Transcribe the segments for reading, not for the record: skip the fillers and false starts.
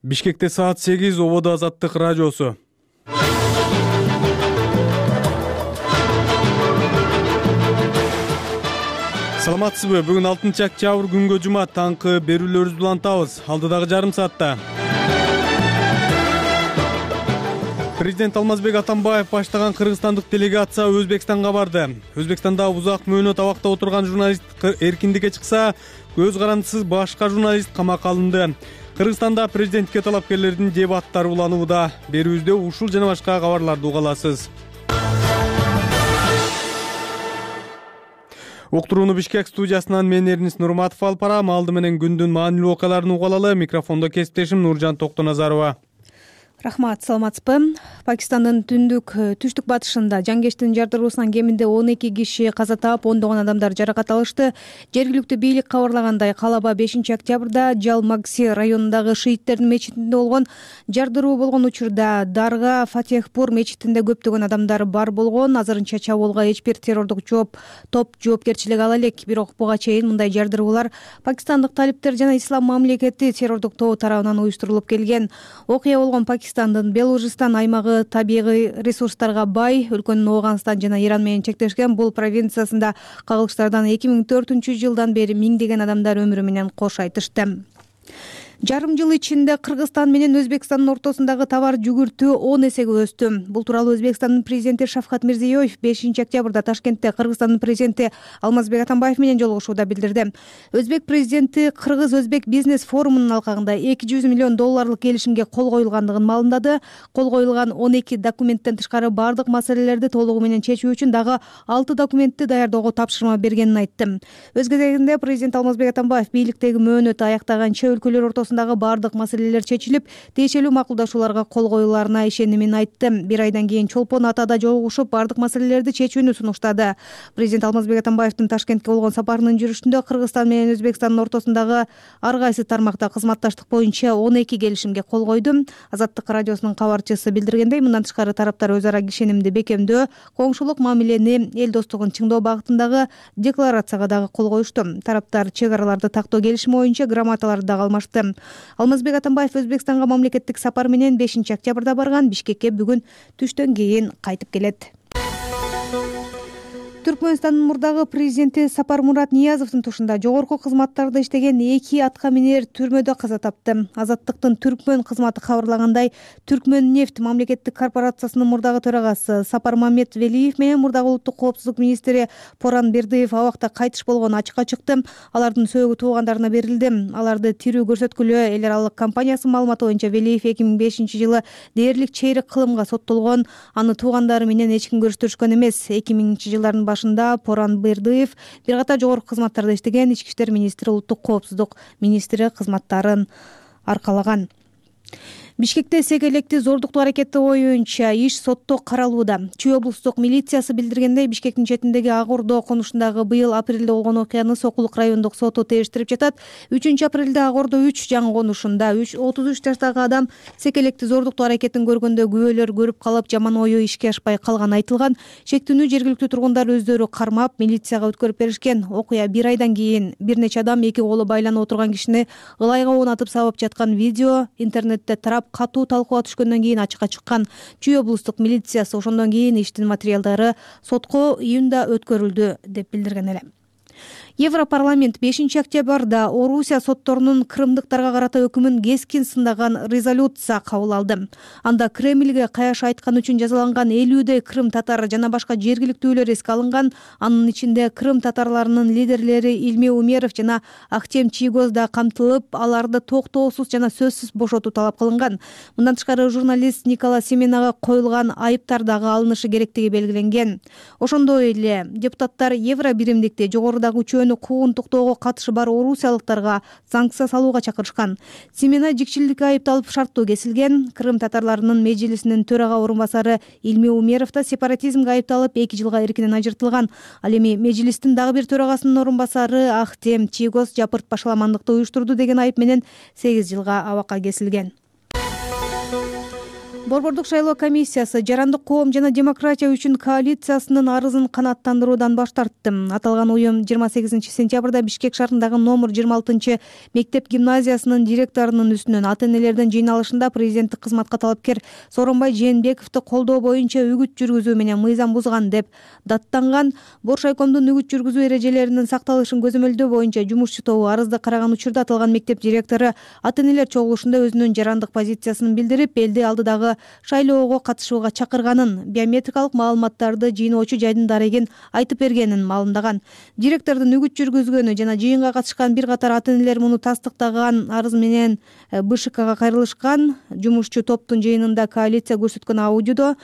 Бишкекте саат 8 ободо Азаттык радиосу. Саламатсызбы? Бүгүн 6-октябрь күнгө жума таңкы берүүлөрүбүздү улантабыз. Алдыдагы жарым саатта Президент Алмазбек Атамбаев баштаган кыргызстандык делегация Өзбекстанга барды. Өзбекстанда узак мөөнөт абакта отурган журналист эркиндикке чыкса, көз карандысыз башка журналист камакка алынды. Кыргызстанда президентке талапкерлердин дебаттары уланууда. Берүүбүздө ушул жана башка кабарларды уга аласыз. Уктурууну Бишкек студиясынан мен Эрнис Нурматов алып барам. Алды менен күндүн маанилүү окуяларын уга алалы. Микрофондо кесиптешим Нуржан Токтоназарова. Рахмат, саламатсызбы? Пакистандын түштүк батышында жангечтин жардыруусунан кеминде 12 киши каза таап, ондогон адамдар жаракат алышты. Жергиликтүү бийлик кабарлагандай, калаба 5-октябрда Жалмагси районундагы шииттердин мечитинде болгон жардыруу болгон учурда Дарга Фатехпур мечитинде көптөгөн адамдар бар болгон. Азырынча чабуулга эч бир террордук топ жоопкерчилик ала элек. Бирок буга чейин мындай жардыруулар пакистандык талиптер жана Ислам мамлекети террордук тобу тарабынан уюштурулуп келген. Окуя болгон Пакистандын Белужистан аймагы табигый ресурстарга бай, өлкөнүн Ооганстан жана Иран менен чектешкен бул провинциясында кагылыштардан 2004-жылдан бери миңдеген адамдар өмүрү менен кош айтышты. Жарым жыл ичинде Кыргызстан менен Өзбекстандын ортосундагы товар жүгүртүү 10 эсеге өстү. Бул тууралуу Өзбекстандын президенти Шавкат Мирзиёев 5-октябрда Ташкентте Кыргызстандын президенти Алмазбек Атамбаев менен жолугушууда билдирди. Өзбек президенти Кыргыз-Өзбек бизнес форумунун алкагында $200 миллион келишимге кол коюлгандыгын маалымдады. Кол коюлган 12 документтен тышкары бардык маселелерди толугу менен чечүү үчүн дагы 6 документти даярдоого тапшырма бергенин айтты. Өз кезегинде президент Алмазбек Атамбаев бийликтеги мөөнөтү аяктаганча өлкөлөр ортосундагы бардык маселелер чечилип, тиешелүү макулдашууларга кол коюларына ишенимин айтты. Bir айдан кийин Чолпон Атада жолугушуп, бардык маселелерди чечүүнү сунуштады. Президент Алмазбек Атамбаевдин Ташкентке болгон сапарынын жүрүшүндө Кыргызстан менен Өзбекстандын ортосундагы ар кайсы тармакта кызматташтык боюнча 12 келишимге кол койду. Азаттык радиосунун кабарчысы билдиргендей, мындан тышкары тараптар өз ара ишенимди бекемдөө, коңшулук мамилени, эл достугун чыңдоо багытындагы декларацияга дагы кол коюшту. Тараптар чек араларды тактоо келишими боюнча грамоталарды дагы алмашты. Алмазбек Атамбаев Өзбекстанга мамлекеттик сапар менен 5-октябрда барган. Бишкекке бүгүн түштөн кийин кайтып келет. Түркмөнстандын мурдагы президенти Сапармурат Ниязовдун тушунда жогорку кызматтарда иштеген 2 атка минер түрмөдө каза тапты. Азаттыктын Түркмөн кызматы кабарлагандай, Түркмөн нефть мамлекеттик корпорациясынын мурдагы төрагасы Сапармамет Велиев менен мурдагы улуттук коопсуздук министри Поран Бердыев абакта кайтыш болгону ачыкка чыкты. Алардын сөөгү туугандарына берилди. Аларды тирүү көрсөткүлө эл аралык компаниясынын маалыматы боюнча Велиев 2005-жылы дээрлик чейрек кылымга соттолгон. Аны туугандары менен эч ким көрүштүрүшкөн эмес. 2000-жылдардын башында Поран Бердыев бир катар жогорку кызматтарда иштеген, ички иштер министри, улуттук коопсуздук министри кызматтарын аркалаган. Бишкекте эсек электи зордуктуу аракети боюнча иш сотто каралууда. Чүй облустук милициясы билдиргендей, Бишкектин четиндеги Ак Ордо конушундагы быйыл апрелде болгон окуяны Сокулук райондук соту териштирип жатат. 3-апрелде Ак Ордо 3 жаңы конушунда 33 жаштагы адам эсек электи зордуктуу аракетин көргөндө күбөлөр көрүп калып, жаман ою ишке ашпай калганы айтылган. Чектүүнү жергиликтүү тургундар өздөрү кармап, милицияга өткөрүп беришкен. Окуя bir айдан кийин бир нече адам эки колу байланып отурган кишини ылайга оонатып сабап жаткан видео интернетте тарап, катуу талкууга түшкөндөн кийин ачыкка чыккан. Чүй облустук милициясы ошондон кийин иштин материалдары сотко июнда өткөрүлдү деп билдирген эле. Европарламент 5-октябрда Орусия сотторунун крымдыктарга карата өкүмүн кескин сындаган резолюция кабыл алды. Анда Кремльге каяш айткан үчүн жазаланган 50 крым татар жана башка жергиликтүүлөр эске алынган. Анын ичинде крым татарларынын лидерлери Илме Умеров жана Ахтем Чийгоз да камтылып, аларды токтоосуз жана сөзсүз бошотуу талап кылынган. Мындан тышкары журналист Никола Семенага коюлган айыптар дагы алынышы керектиги белгиленген. Ошондой эле депутаттар евро биримдикти жогорудагы куугун токтоого катышы бар орусиялыктарга санкция салууга чакырышкан. Семена жикчиликке айыпталып шарттуу кесилген. Крым татарларынын мejlisинин төрага орунбасары Илме Умеров да сепаратизмге айыпталып 2 жылга эркинен ажыртылган. Ал эми мejlистин дагы бир төрагасынын орунбасары Ахтем Чийгоз жапырт башаламандыкты уюштурду деген айып менен 8 жылга абакка кесилген. Борбордук шайлоо комиссиясы Жарандык коом жана демократия үчүн коалициясынын арызын канааттандыруудан баш тартты. Аталган уюм 28 сентябрда Бишкек шаарындагы номер 26 мектеп гимназиясынын директорунун үстүнөн ата-энелердин жыйналышында президенттик кызматка талапкер Сооронбай Жээнбековду колдоо боюнча үгүт жүргүзүү менен мыйзам бузган деп даттанган. Боршайкомдун үгүт жүргүзүү эрежелеринин сакталышын көзөмөлдөө боюнча жумушчу тобу арызды караган учурда аталган мектеп директору ата-энелер чогулушунда өзүнүн жарандык позициясын билдирип, элди алдыдагы шайлоого катышууга чакырганын, биометрикалык маалыматтарды жыйноочу жайдын дарегин айтып бергенин маалымдаган. Директордун үгүт жүргүзгөнү жана жыйынга катышкан бир катар ата-энелер муну тастыктаган арыз менен БШКга кайрылышкан. Жумушчу топтун жыйынында коалиция көрсөткөн аудиодо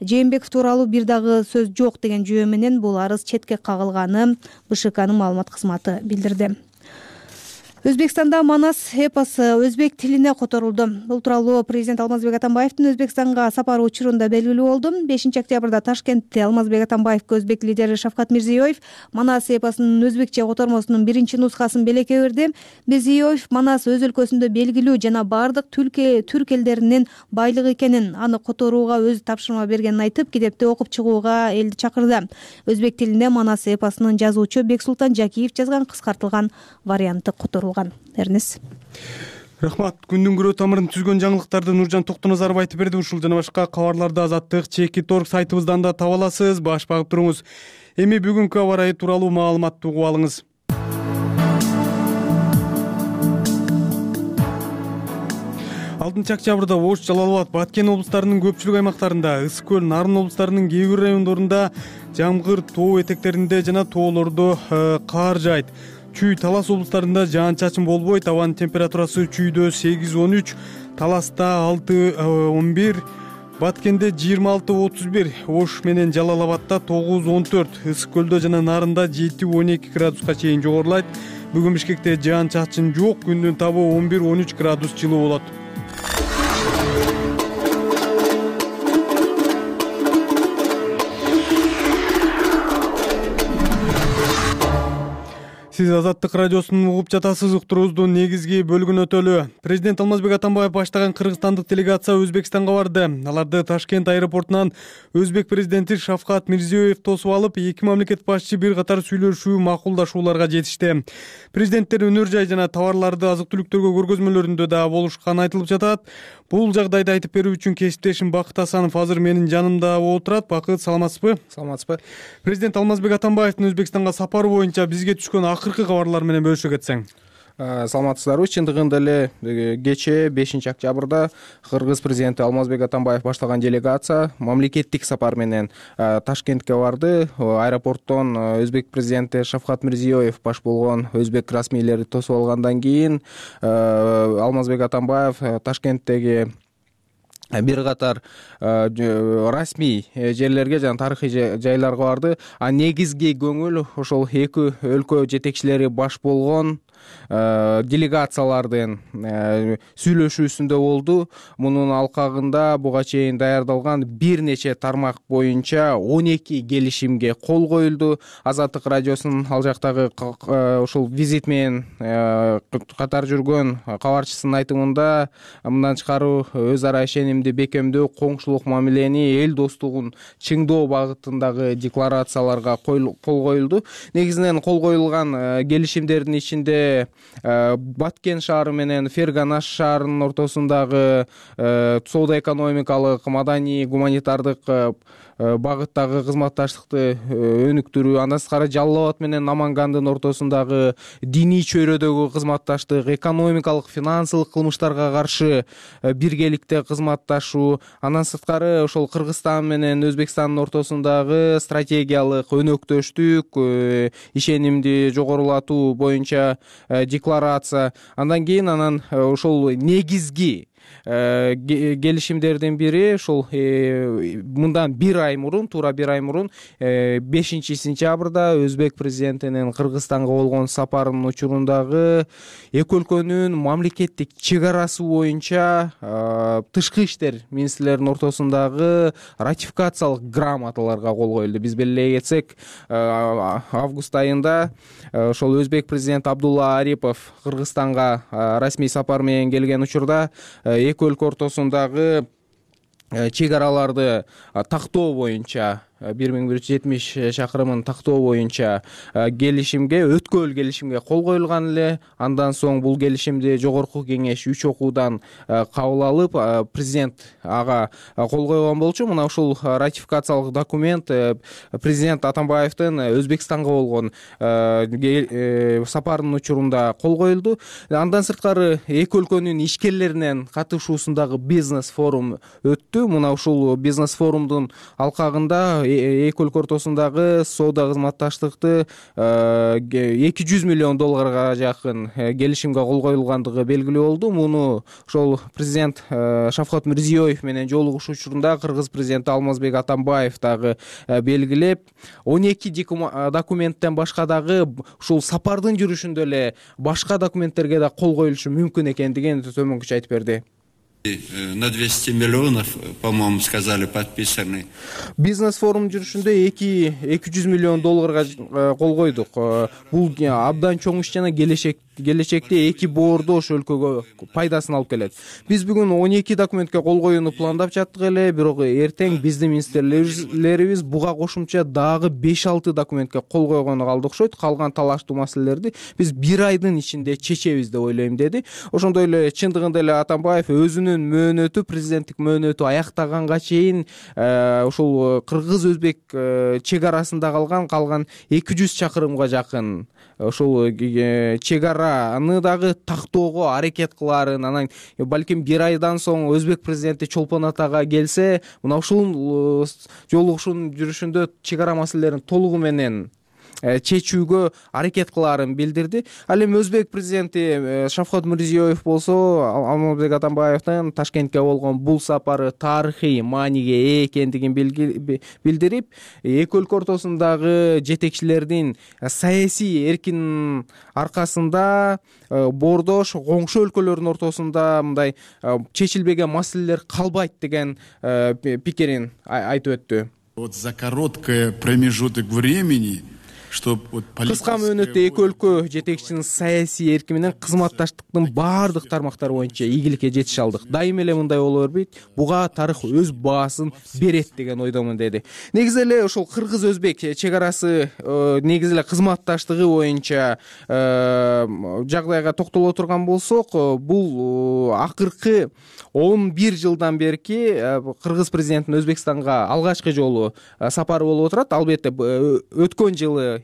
Жээнбеков тууралуу бир дагы сөз жок деген жүйө менен бул арыз четке кагылганын БШКнын маалымат кызматы билдирди. Өзбекстанда Манас эпосу өзбек тилине которулду. Бул тууралуу президент Алмазбек Атамбаевдин Өзбекстанга сапары учурунда белгилүү болду. 5 октябрда Ташкентте Алмазбек Атамбаевге өзбек лидери Шавкат Мирзиёев Манас эпосунун өзбекче котормосунун биринчи нускасын белекке берди. Мирзиёев Манас өз өлкөсүндө белгилүү жана бардык түрк элдеринин байлыгы экенин, аны которууга өзү тапшырма бергенин айтып, китепти окуп чыгууга элди чакырды. Өзбек тилине Манас эпосунун жазуучу Бексултан Жакиев жазган кыскартылган варианты которулган. Эрнес. Рахмат. Күндүн күрөө тамырын түзгөн жаңылыктарды Нуржан Токтоназаров айтып берди. Ушул жана башка кабарларды Азаттык /Org сайтыбыздан да таба аласыз. Баш багып туруңуз. Эми бүгүнкү аба ырайы тууралуу маалыматты угуп алыңыз. 6 октябрда Ош, Жалал Абад, Баткен облустарынын көпчүлүк аймактарында, Ысык көл, Нарын облустарынын кээ бир райондорунда жамгыр тоо этектеринде жана тоолордо кар жаайт. Чүй, Талас облустарында жаан-чачын болбойт. Абанын температурасы чүйдө 8-13, Таласта 6-11, Баткенде 26-31, Ош менен Жалал Абадта 9-14, Ысык көлдө жана Нарында 7-12 градуска чейин жогорулайт. Бүгүн Бишкекте жаан-чачын жок, күндүн табы 11-13 градус жылуу болот. Сиз Азаттык радиосун угуп жатасыз. Уктуруубуздун негизги бөлүгүн өтөлү. Президент Алмазбек Атамбаев баштаган кыргызстандык делегация Өзбекстанга барды. Аларды Ташкент аэропортунан өзбек президенти Шавкат Мирзиёев тосуп алып, эки мамлекет башчы бир катар сүйлөшүү, макулдашууларга жетишти. Президенттер өнөр жай жана товарларды азык-түлүктөргө көргөзмөлөрүндө да болушканы айтылып жатат. Бул жагдайды айтып берүү үчүн кесиптешим Бакыт Асанов азыр менин жанымда отурат. Бакыт, саламатсызбы? Саламатсызбы. Президент Алмазбек Атамбаевдин Өзбекстанга сапары боюнча бизге түшкөн акыркы кабарлар менен бөлүшө кетсең. Саламатсыздарбы. Чындыгында эле кечээ 5 октябрда кыргыз президенти Алмазбек Атамбаев баштаган делегация мамлекеттик сапар менен Ташкентке барды. Аэропорттон өзбек президенти Шавкат Мирзиёев баш болгон өзбек расмийлери тосуп алгандан кийин Алмазбек Атамбаев Ташкенттеги бир катар расмий жерлерге жана тарыхый жайларга барды. Негизги көңүл ошол эки өлкө жетекчилери баш болгон делегациялардын сүйлөшүүсүндө болду. Мунун алкагында буга чейин даярдалган бир нече тармак боюнча 12 келишимге кол коюлду. Азаттык радиосунун ал жактагы ушул визит менен катар жүргөн кабарчысынын айтымында мындан тышкары өз ара ишенимди бекемдөө, коңшулук мамилени, эл достугун чыңдоо багытындагы декларацияларга кол коюлду. Негизинен кол коюлган келишимдердин ичинде Баткен шаары менен Ферганаш шаарынын ортосундагы соода-экономикалык, маданий, гуманитардык багыттагы кызматташтыкты өнүктүрүү, андан тышкары Жалал Абад менен Намангандын ортосундагы диний чөйрөдөгү кызматташтык, экономикалык, финансылык кылмыштарга каршы биргеликте кызматташуу, андан сырткары ошол Кыргызстан менен Өзбекстандын ортосундагы стратегиялык өнөктөштүк, ишенимди жогорулатуу боюнча декларация. Андан кийин ошол негизги келишимдердин бири ошол мындан туура бир ай мурун 5 сентябрда өзбек президентинин Кыргызстанга болгон сапарынын учурундагы эки өлкөнүн мамлекеттик чек арасы боюнча тышкы иштер министрлеринин ортосундагы ратификациялык грамоталарга кол коюлду. Биз белгилей кетсек, август айында ошол өзбек президенти Абдулла Арипов Кыргызстанга расмий сапар менен келген учурда эки өлкө ортосундагы чек араларды тактоо боюнча 1170 чакырымын тактоо боюнча келишимге, өткөл келишимге кол коюлган эле. Андан соң бул келишимди жогорку кеңеш 3 окуудан кабыл алып, президент ага кол койгон болчу. Мына ушул ратификациялык документ президент Атамбаевдин Өзбекстанга болгон сапарынын учурунда кол коюлду. Андан сырткары эки өлкөнүн ишкерлеринин катышуусундагы бизнес форум өттү. Мына ушул бизнес форумдун алкагында эки өлкө ортосундагы соода кызматташтыкты $200 миллион жакын келишимге кол коюлгандыгы белгилүү болду. Муну ошол президент Шавкат Мирзиёев менен жолугушуу учурунда кыргыз президенти Алмазбек Атамбаев дагы белгилеп, 12 документтен башка дагы ушул сапардын жүрүшүндө эле башка документтерге да кол коюлушу мүмкүн экендигин төмөнкүчө айтып берди. На 200 миллионов, по-моему, сказали, подписаны. Бизнес форум жүрүшүндө $200 миллион кол койдук. Бул абдан чоң иш жана келечекте эки боордош өлкөгө пайдасын алып келет. Биз бүгүн 12 документке кол коюуну пландап жаттык эле, бирок эртең биздин министрлерибиз буга кошумча дагы 5-6 документке кол койгону калды окшойт. Калган талаштуу маселелерди биз 1 айдын ичинде чечебиз деп ойлойм деди. Ошондой эле чындыгында эле Атамбаев өзүнүн мөөнөтү, президенттик мөөнөтү аяктаганга чейин ушул кыргыз-өзбек чек арасында калган 200 чакырымга жакын ушул чек араны дагы тактоого аракет кылаарын, анан балким 1 айдан соң Өзбек президенти Чолпон Атага келсе, мына ушул жолугушуунун жүрүшүндө чек ара маселелерин толугу менен чечүүгө аракет кылаарын билдирди. Ал эми Өзбек президенти Шавкат Мирзиёев болсо Алмазбек Атамбаевдин Ташкентке болгон бул сапары тарыхый мааниге ээ экендигин билдирип, эки өлкө ортосундагы жетекчилердин саясий эркинин аркасында боордош коңшу өлкөлөрдүн ортосунда мындай чечилбеген маселелер калбайт деген пикирин айтып өттү. Вот за короткий промежуток времени кыска мөөнөттө эки өлкө жетекчисинин саясий эрки менен кызматташтыктын баардык тармактары боюнча ийгиликке жетише алдык. Дайыма эле мындай боло бербейт. Буга тарых өз баасын берет деген ойдомун деди. Негизи эле ошол кыргыз-өзбек чек арасы негизи эле кызматташтыгы боюнча жагдайга токтоло турган болсок, бул акыркы 11 жылдан берки кыргыз президентинин Өзбекстанга алгачкы жолу сапары болуп отурат. Албетте өткөн жылы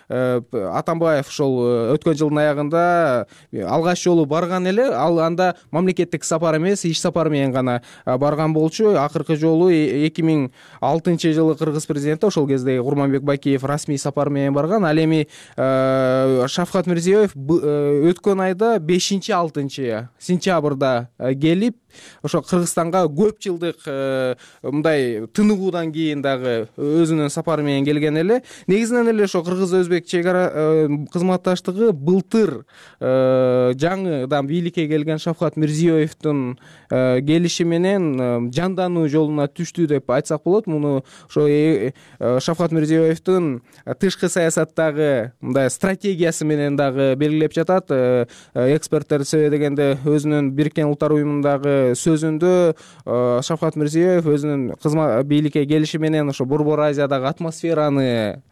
Атамбаев ошол өткөн жылдын аягында алгач жолу барган эле, ал анда мамлекеттик сапар эмес, иш сапары менен гана барган болчу. Акыркы жолу 2006 жылы кыргыз президенти ошол кезде Курманбек Бакиев расмий сапар менен барган. Ал эми Шавкат Мирзиёев өткөн айда 5-6 сентябрда келип, ошо Кыргызстанга көп жылдык мындай тыныгуудан кийин дагы өзүнүн сапары менен келген эле. Негизинен эле ошо кыргыз-өзбек чек ара кызматташтыгы былтыр жаңыдан бийликке келген Шавкат Мирзиёевдин келиши менен жандануу жолуна түштү деп айтсак болот. Муну ошо Шавкат Мирзиёевдин тышкы саясаттагы мындай стратегиясы менен дагы белгилеп жатат. Эксперттер дегенде өзүнүн Бириккен Улуттар уюмундагы сөзүндө Шавкат Мирзиёев өзүнүн бийликке келиши менен ошо Борбор Азиядагы атмосфераны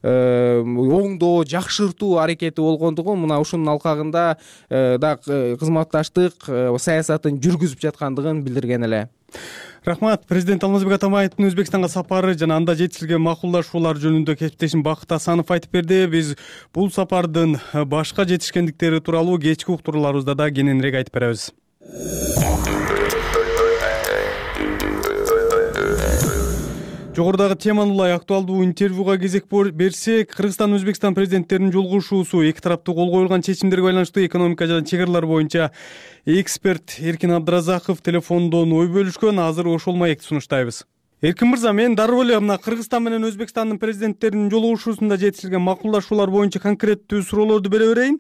оңдоо, жакшыртуу аракети болгондугун, мына ушунун алкагында да кызматташтык саясатын жүргүзүп жаткандыгын билдирген эле. Рахмат. Президент Алмазбек Атамбаевдин Өзбекстанга сапары жана анда жетишилген макулдашуулар жөнүндө кесиптешим Бакыт Асанов айтып берди. Биз бул сапардын башка жетишкендиктери тууралуу кечки уктурууларыбызда да кененирээк айтып беребиз. Жогорудагы теманы улай актуалдуу интервьюга кезек берсек, Кыргызстан Өзбекстан президенттеринин жолугушуусу, эки тараптуу кол коюлган чечимдерге байланыштуу экономика жана чек аралар боюнча эксперт Эркин Абдыразаков телефондон ой бөлүшкөн. Азыр ошол маекти сунуштайбыз. Эркин мырза, мен дароо эле мына Кыргызстан менен Өзбекстандын президенттеринин жолугушуусунда жетишилген макулдашуулар боюнча конкреттүү суроолорду бере берейин.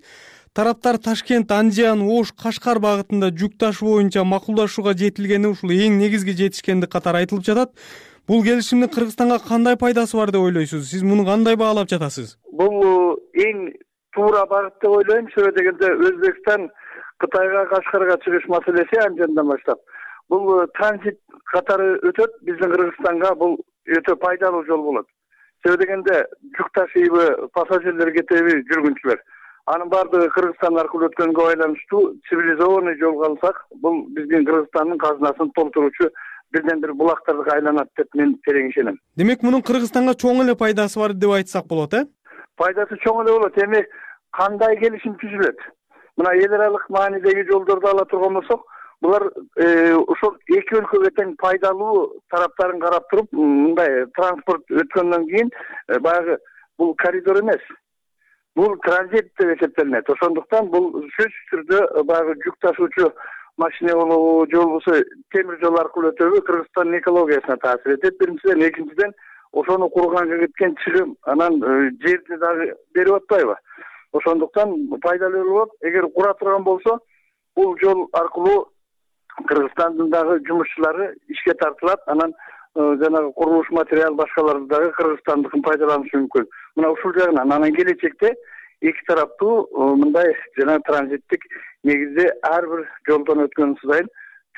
Тараптар Ташкент, Андиан, Ош, Кашкар багытында жүк таш боюнча макулдашууга жетилгени ушул эң негизги жетишкендик катары айтылып жатат. Бул келишимдин Кыргызстанга кандай пайдасы бар деп ойлойсуз? Сиз муну кандай баалап жатасыз? Бул эң туура багыт деп ойлойм. Себеби дегенде Өзбекстан Кытайга Кашкарга чыгыш маселеси Андиандан баштап. бул транзит катары өтөт биздин Кыргызстанга. Бул өтө пайдалуу жол болот. Себеби дегенде жүк ташыйбы, пассажирлер кетеби, жүргүнчүлөр. Анын баардыгы Кыргызстан аркылуу өткөнгө байланыштуу цивилизованный жолго алсак, бул биздин Кыргызстандын казынасын толтуручу бирден бир булактарга айланат деп мен терең ишенем. Демек мунун Кыргызстанга чоң эле пайдасы бар деп айтсак болот, Пайдасы чоң эле болот. Эми кандай келишим түзүлөт? Мына эл аралык маанидеги жолдорду ала турган болсок, булар ошол эки өлкөгө тең пайдалуу тараптарын карап туруп, мындай транспорт өткөндөн кийин баягы бул коридор эмес. Бул транзит деп эсептелинет. Ошондуктан бул сөзсүз түрдө баягы жүк ташуучу машина болобу, же болбосо темир жол аркылуу өтөбү Кыргызстандын экологиясына таасир этет. Биринчиден, экинчиден ошону курганга кеткен чыгым, анан жерди дагы берип атпайбы? Ошондуктан пайдалуу болот. Эгер кура турган болсо, бул жол аркылуу Кыргызстандын дагы жумушчулары ишке тартылат. Анан жанагы курулуш материал башкаларды дагы Кыргызстандыкын пайдаланышы мүмкүн. Мына ушул жагынан анан келечекте эки тараптуу мындай жана транзиттик негизде ар бир жолдон өткөн сайын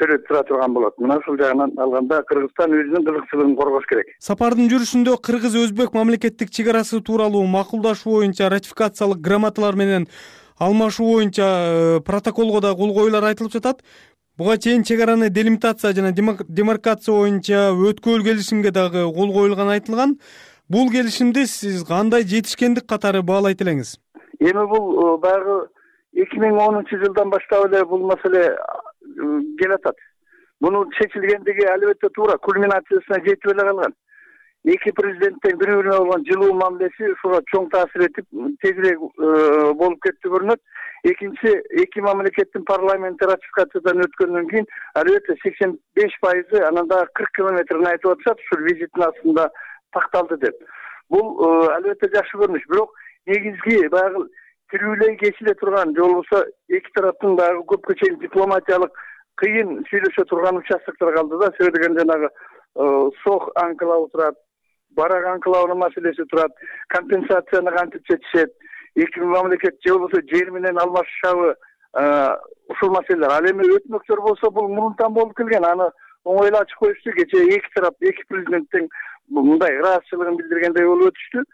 төлөп тура турган болот. Мына ушул жагынан алганда Кыргызстан өзүнүн кызыкчылыгын коргош керек. Сапардын жүрүшүндө кыргыз-өзбек мамлекеттик чек арасы тууралуу макулдашуу боюнча ратификациялык грамоталар менен алмашуу боюнча протоколго да кол коюулар айтылып жатат. Буга чейин чек араны делимитация жана демаркация боюнча өткөл келишимге дагы кол коюлганы айтылган. Бул келишимди сиз кандай жетишкендик катары баалайт элеңиз? Эми бул баягы 2010-жылдан баштап эле бул маселе келатат. Мунун чечилгендиги албетте туура, кульминациясына жетип эле калган. Эки президенттин бири-бирине болгон жылуу мамилеси ушуга чоң таасир этип, тезирээк болуп кетти көрүнөт. Экинчи, эки мамлекеттин парламенти ратификациядан өткөндөн кийин албетте 85%, анан дагы 40 километрин айтып атышат, ушул визиттин астында такталды деп. Бул албетте жакшы көрүнүш, бирок негизги баягы тирүүлөй кесиле турган, же болбосо эки тараптын дагы көпкө чейин дипломатиялык кыйын сүйлөшө турган участоктор калды да. Себеби деген жанагы Сох анклавы турат, Барак анклавынын маселеси турат, компенсацияны кантип чечишет, эки мамлекет же болбосо жер менен алмашышабы, ушул маселелер. Ал эми өтмөктөр болсо бул мурунтан болуп келген. Аны оңой эле ачык коюшту. Кечээ эки тарап, эки президенттин мындай ыраазычылыгын билдиргендей болуп өтүштү.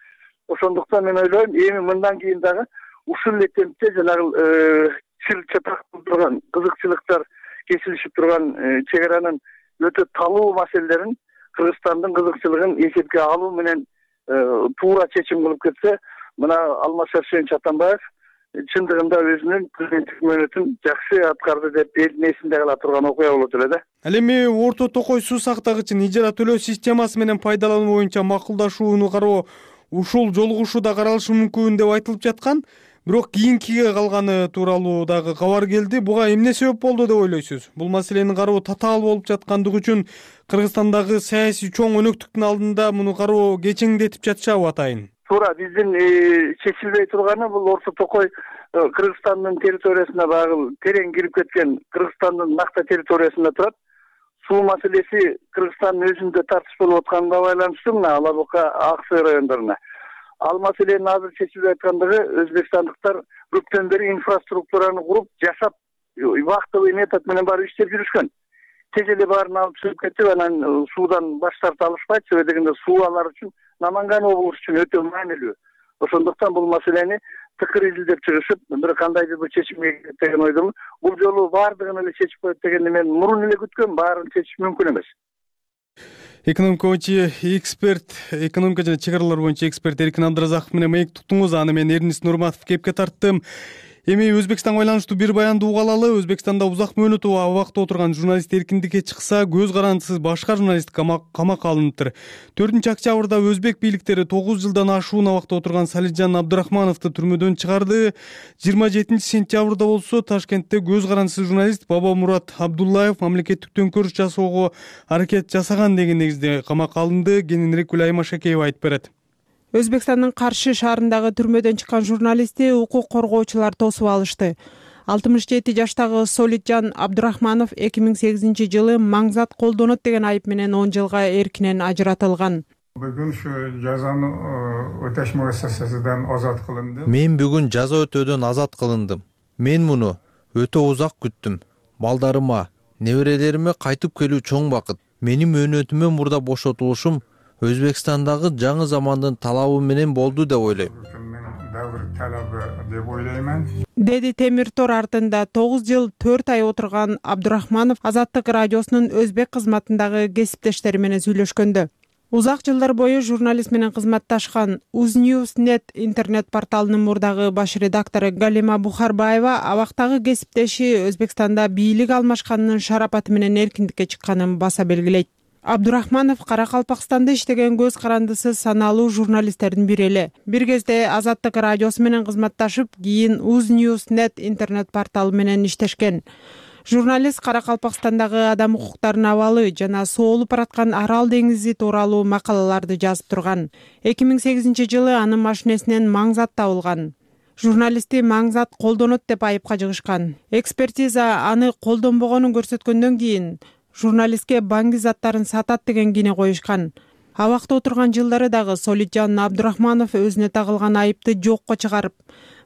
Ошондуктан мен ойлойм, эми мындан кийин дагы ушул эле темпте жанагы чыр-чатак турган, кызыкчылыктар кесилишип турган чек аранын өтө талуу маселелерин Кыргызстандын кызыкчылыгын эсепке алуу менен туура чечим кылып кетсе, мына Алмаз Шаршенович Атамбаев чындыгында өзүнүн президенттик мөөнөтүн жакшы аткарды деп элдин эсинде кала турган окуя болот эле да. Ал эми Орто Токой суу сактагычын ижара төлөө системасы менен пайдалануу боюнча макулдашууну кароо ушул жолугушууда каралышы мүмкүн деп айтылып жаткан. Бирок кийинкиге калганы тууралуу дагы кабар келди. Буга эмне себеп болду деп ойлойсуз? Бул маселени кароо татаал болуп жаткандыгы үчүн Кыргызстандагы саясий чоң өнөктүктүн алдында муну кароо кечеңдетип жатышабы атайын? Туура, биздин чечилбей турганы бул Орто Токой Кыргызстандын территориясына багыл терең кирип кеткен, Кыргызстандын накта территориясында турат. Суу маселеси Кыргызстандын өзүндө тартыш болуп атканга байланыштуу мына Алабука, Ак Сый райондоруна. Ал маселенин азыр чечилбей аткандыгы өзбекстандыктар көптөн бери инфраструктураны куруп, жашап, вахтовый метод менен барып иштеп жүрүшкөн. Тез эле баарын алып чыгып кетип, анан суудан баш тарта алышпайт. Себеби дегенде суу алар үчүн Наманган облусу үчүн өтө маанилүү. Ошондуктан бул маселени тыкыр изилдеп чыгышып, бир кандайдыр бир чечимге келет деген ойдомун. Бул жолу баардыгын эле чечип коет дегенди мен мурун эле күткөм, баарын чечиш мүмкүн эмес. Экономика жана чек аралар боюнча эксперт Эркин Абдыразаков менен маек туттуңуз. Аны мен Эрнис Нурматов кепке тарттым. Эми Өзбекстанга байланыштуу бир баянды угуп алалы. Өзбекстанда узак мөөнөт абакта отурган журналист эркиндикке чыкса, көз карандысыз башка журналист камакка алыныптыр. 4-октябрда өзбек бийликтери 9 жылдан ашуун абакта отурган Салиджан Абдырахмановду түрмөдөн чыгарды. 27-сентябрда болсо Ташкентте көз карандысыз журналист Бабамурат Абдуллаев мамлекеттик төңкөрүш жасоого аракет жасаган деген негизде камакка алынды. Кененирээк Гүлайым Ашакеева айтып берет. Өзбекстандын Каршы шаарындагы түрмөдөн чыккан журналистти укук коргоочулар тосуп алышты. 67 жаштагы Солиджан Абдурахманов 2008-жылы маңзат колдонот деген айып менен 10 жылга эркинен ажыратылган. Бүгүн ушу жазаны өтөш муассасасынан азат кылындым. Мен бүгүн жаза өтөөдөн азат кылындым. Мен муну өтө узак күттүм. Балдарыма, Неберелериме кайтып келүү чоң бакыт. Менин мөөнөтүмөн мурда бошотулушум Өзбекстандагы жаңы замандын талабы менен болду деп ойлойм. Davr talabi deb o'ylayman. Деди Темир Тор артында 9 жыл 4 ай отурган Абдурахманов Азаттык радиосунун өзбек кызматындагы кесиптештери менен сүйлөшкөндө. Узак жылдар бою журналист менен кызматташкан Uznewsnet интернет порталынын мурдагы баш редактору Галима Бухарбаева абактагы кесиптеши Өзбекстанда бийлик алмашканынын шарапаты менен эркиндикке чыкканын баса белгилейт. Абдурахманов Каракалпакстанда иштеген көз карандысыз саналуу журналисттердин бири эле. Бир кезде Азаттык радиосу менен кызматташып, кийин Uznewsnet интернет порталы менен иштешкен. Журналист Каракалпакстандагы адам укуктарынын абалы жана соолуп бараткан Арал деңизи тууралуу макалаларды жазып турган. 2008-жылы анын машинесинен маңзат табылган. Журналистти маңзат колдонот деп айыпка жыгышкан. Экспертиза аны колдонбогонун көрсөткөндөн кийин журналистке баңги заттарын сатат деген кине коюшкан. Абакта отурган жылдары дагы Солитжан Абдурахманов өзүнө тагылган айыпты жокко чыгарып,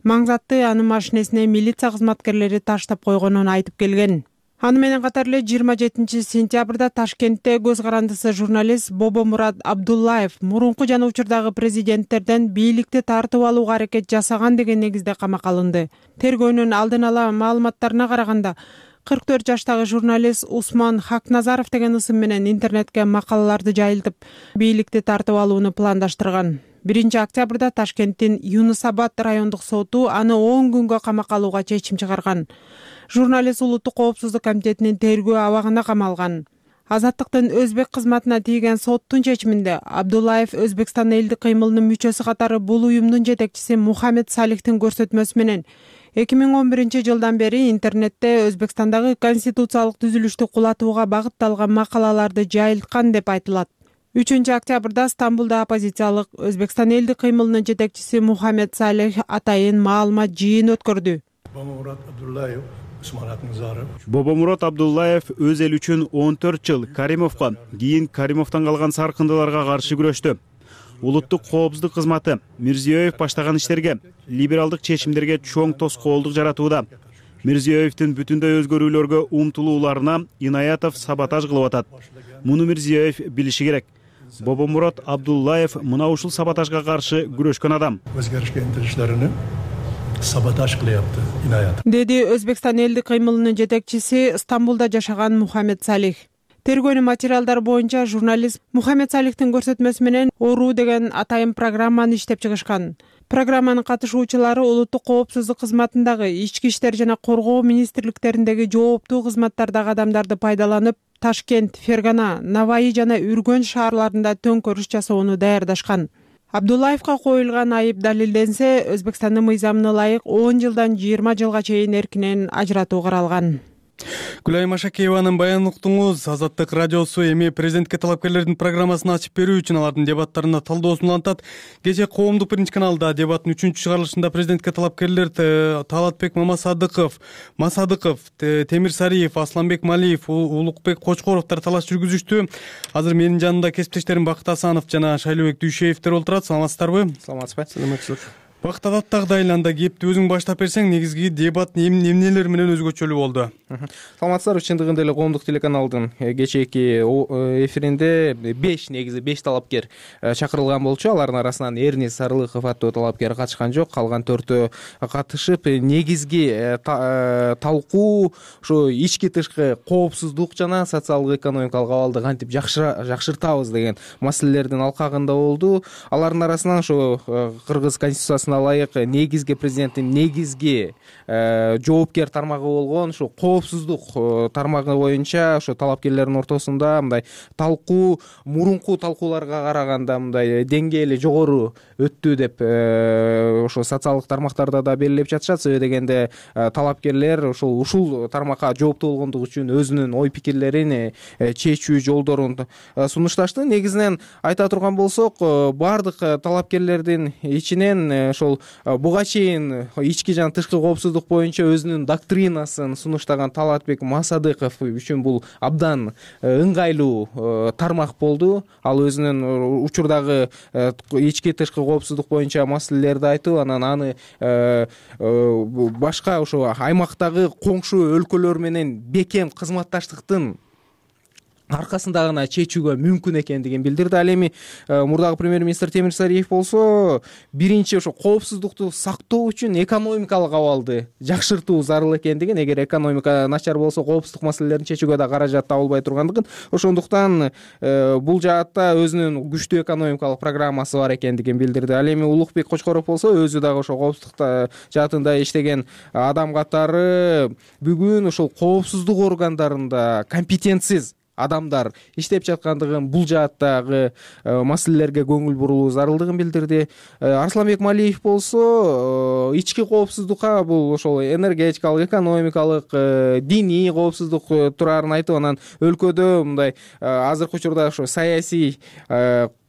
маңзатты анын машинесине милиция кызматкерлери таштап койгонун айтып келген. Аны менен катар эле 27-сентябрда Ташкентте көз карандысы журналист Бобомурат Абдуллаев мурунку жана учурдагы президенттерден бийликти тартып алууга аракет жасаган деген негизде камакка алынды. Тергөөнүн алдын ала маалыматтарына караганда 44 жаштагы журналист Усман Хакназаров деген ысым менен интернетке макалаларды жайылтып, бийликти тартып алууну пландаштырган. 1-октябрда Ташкенттин Юнусабад райондук соту аны 10 күнгө камакка алууга чечим чыгарган. Журналист Улуттук коопсуздук комитетинин тергөө абагына камалган. Азаттыктын өзбек кызматына тийген соттун чечиминде Абдуллаев Өзбекстан элдик кыймылынын мүчөсү катары бул уюмдун жетекчиси Мухаммед Салихтин көрсөтмөсү менен 2011-жылдан бери интернетте Өзбекстандагы конституциялык түзүлүштү кулатууга багытталган макалаларды жайылткан деп айтылат. 3-октябрда Стамбулда оппозициялык Өзбекстан элдик кыймылынын жетекчиси Мухаммед Салих атайын маалымат жыйын өткөрдү. Бобомурат Абдуллаев өз эл үчүн 14 жыл Каримовго, кийин Каримовдон калган саркындыларга каршы күрөштү. Улуттук коопсуздук кызматы Мирзиёев баштаган иштерге, либералдык чечимдерге чоң тоскоолдук жаратууда. Мирзиёевдин бүтүндөй өзгөрүүлөргө умтулууларына Инаятов саботаж кылып атат. Муну Мирзиёев билиши керек. Бобомурат Абдуллаев мына ушул саботажга каршы күрөшкөн адам. Өзгөрүшкө интилиштерини саботаж кылыпты Инаятов. Деди Өзбекстан элдик кыймылынын жетекчиси Стамбулда жашаган Мухаммед Салих. Тергөөнүн материалдары боюнча журналист Мухаммед Салихтин көрсөтмөсү менен Ору деген атайын программаны иштеп чыгышкан. Программанын катышуучулары улуттук коопсуздук кызматындагы ички иштер жана коргоо министрликтериндеги жооптуу кызматтардагы адамдарды пайдаланып, Ташкент, Фергана, Наваи жана Үргөн шаарларында төңкөрүш жасоону даярдашкан. Абдуллаевга коюлган айып далилденсе, Өзбекстандын мыйзамына ылайык 10 жылдан 20 жылга чейин эркинен ажыратуу каралган. Гүлайым Ашакееванын баянын уктуңуз. Азаттык радиосу эми президентке талапкерлердин программасын ачып берүү үчүн алардын дебаттарына талдоосун улантат. Кечээ Коомдук биринчи каналда дебаттын 3-чыгарылышында президентке талапкерлер Талатбек Масадыков, Темир Сариев, Асланбек Малиев, Улукбек Кочкоровдор талаш жүргүзүштү. Азыр менин жанымда кесиптештерим Бакыт Асанов жана Шайлообек Дүйшеевдер отурат. Саламатсыздарбы? Саламатсызбы. Бакыт адаттагдайланда кепти өзүң баштап берсең, негизги дебат эмнелер менен өзгөчөлүү болду? Саламатсыздарбы, чындыгында эле Коомдук телеканалдын кечээки эфиринде 5 талапкер чакырылган болчу. Алардын арасынан Эрнис Сарылыков аттуу талапкер катышкан жок. Калган 4-өө катышып, негизги талкуу ошо ички тышкы коопсуздук жана социалдык экономикалык абалды кантип жакшыртабыз деген маселелердин алкагында болду. Алардын арасынан ошо Кыргыз конституциясына ылайык негизги президенттин негизги жоопкер тармагы болгон ошо коопсуздук тармагы боюнча ошо талапкерлердин ортосунда мындай талкуу мурунку талкууларга караганда мындай деңгээли жогору өттү деп ошо социалдык тармактарда да белгилеп жатышат. Себеби дегенде талапкерлер ушул тармакка жооптуу болгондугу үчүн өзүнүн ой пикирлерин чечүү жолдорун сунушташты. Негизинен айта турган болсок, баардык талапкерлердин ичинен ошол буга чейин ички жана тышкы коопсуздук боюнча өзүнүн доктринасын сунуштаган Талатбек Масадыков үчүн бул абдан ыңгайлуу тармак болду. Ал өзүнүн учурдагы ички тышкы коопсуздук боюнча маселелерди айтып, анан аны башка ошо аймактагы коңшу өлкөлөр менен бекем кызматташтыктын аркасында гана чечүүгө мүмкүн экендигин билдирди. Ал эми мурдагы премьер-министр Темир Сариев болсо биринчи ошо коопсуздукту сактоо үчүн экономикалык абалды жакшыртуу зарыл экендигин, эгер экономика начар болсо коопсуздук маселелерин чечүүгө да каражат табылбай тургандыгын, ошондуктан бул жаатта өзүнүн күчтүү экономикалык программасы бар экендигин билдирди. Ал эми Улукбек Кочкоров болсо өзү дагы ошо коопсуздук жаатында иштеген адам катары бүгүн ошол коопсуздук органдарында компетентсиз адамдар иштеп жаткандыгын, бул жааттагы маселелерге көңүл буруу зарылдыгын билдирди. Арсланбек Малиев болсо ички коопсуздукка, бул ошол энергетикалык, экономикалык, диний коопсуздук турарын айтып, анан өлкөдө мындай азыркы учурда ошо саясий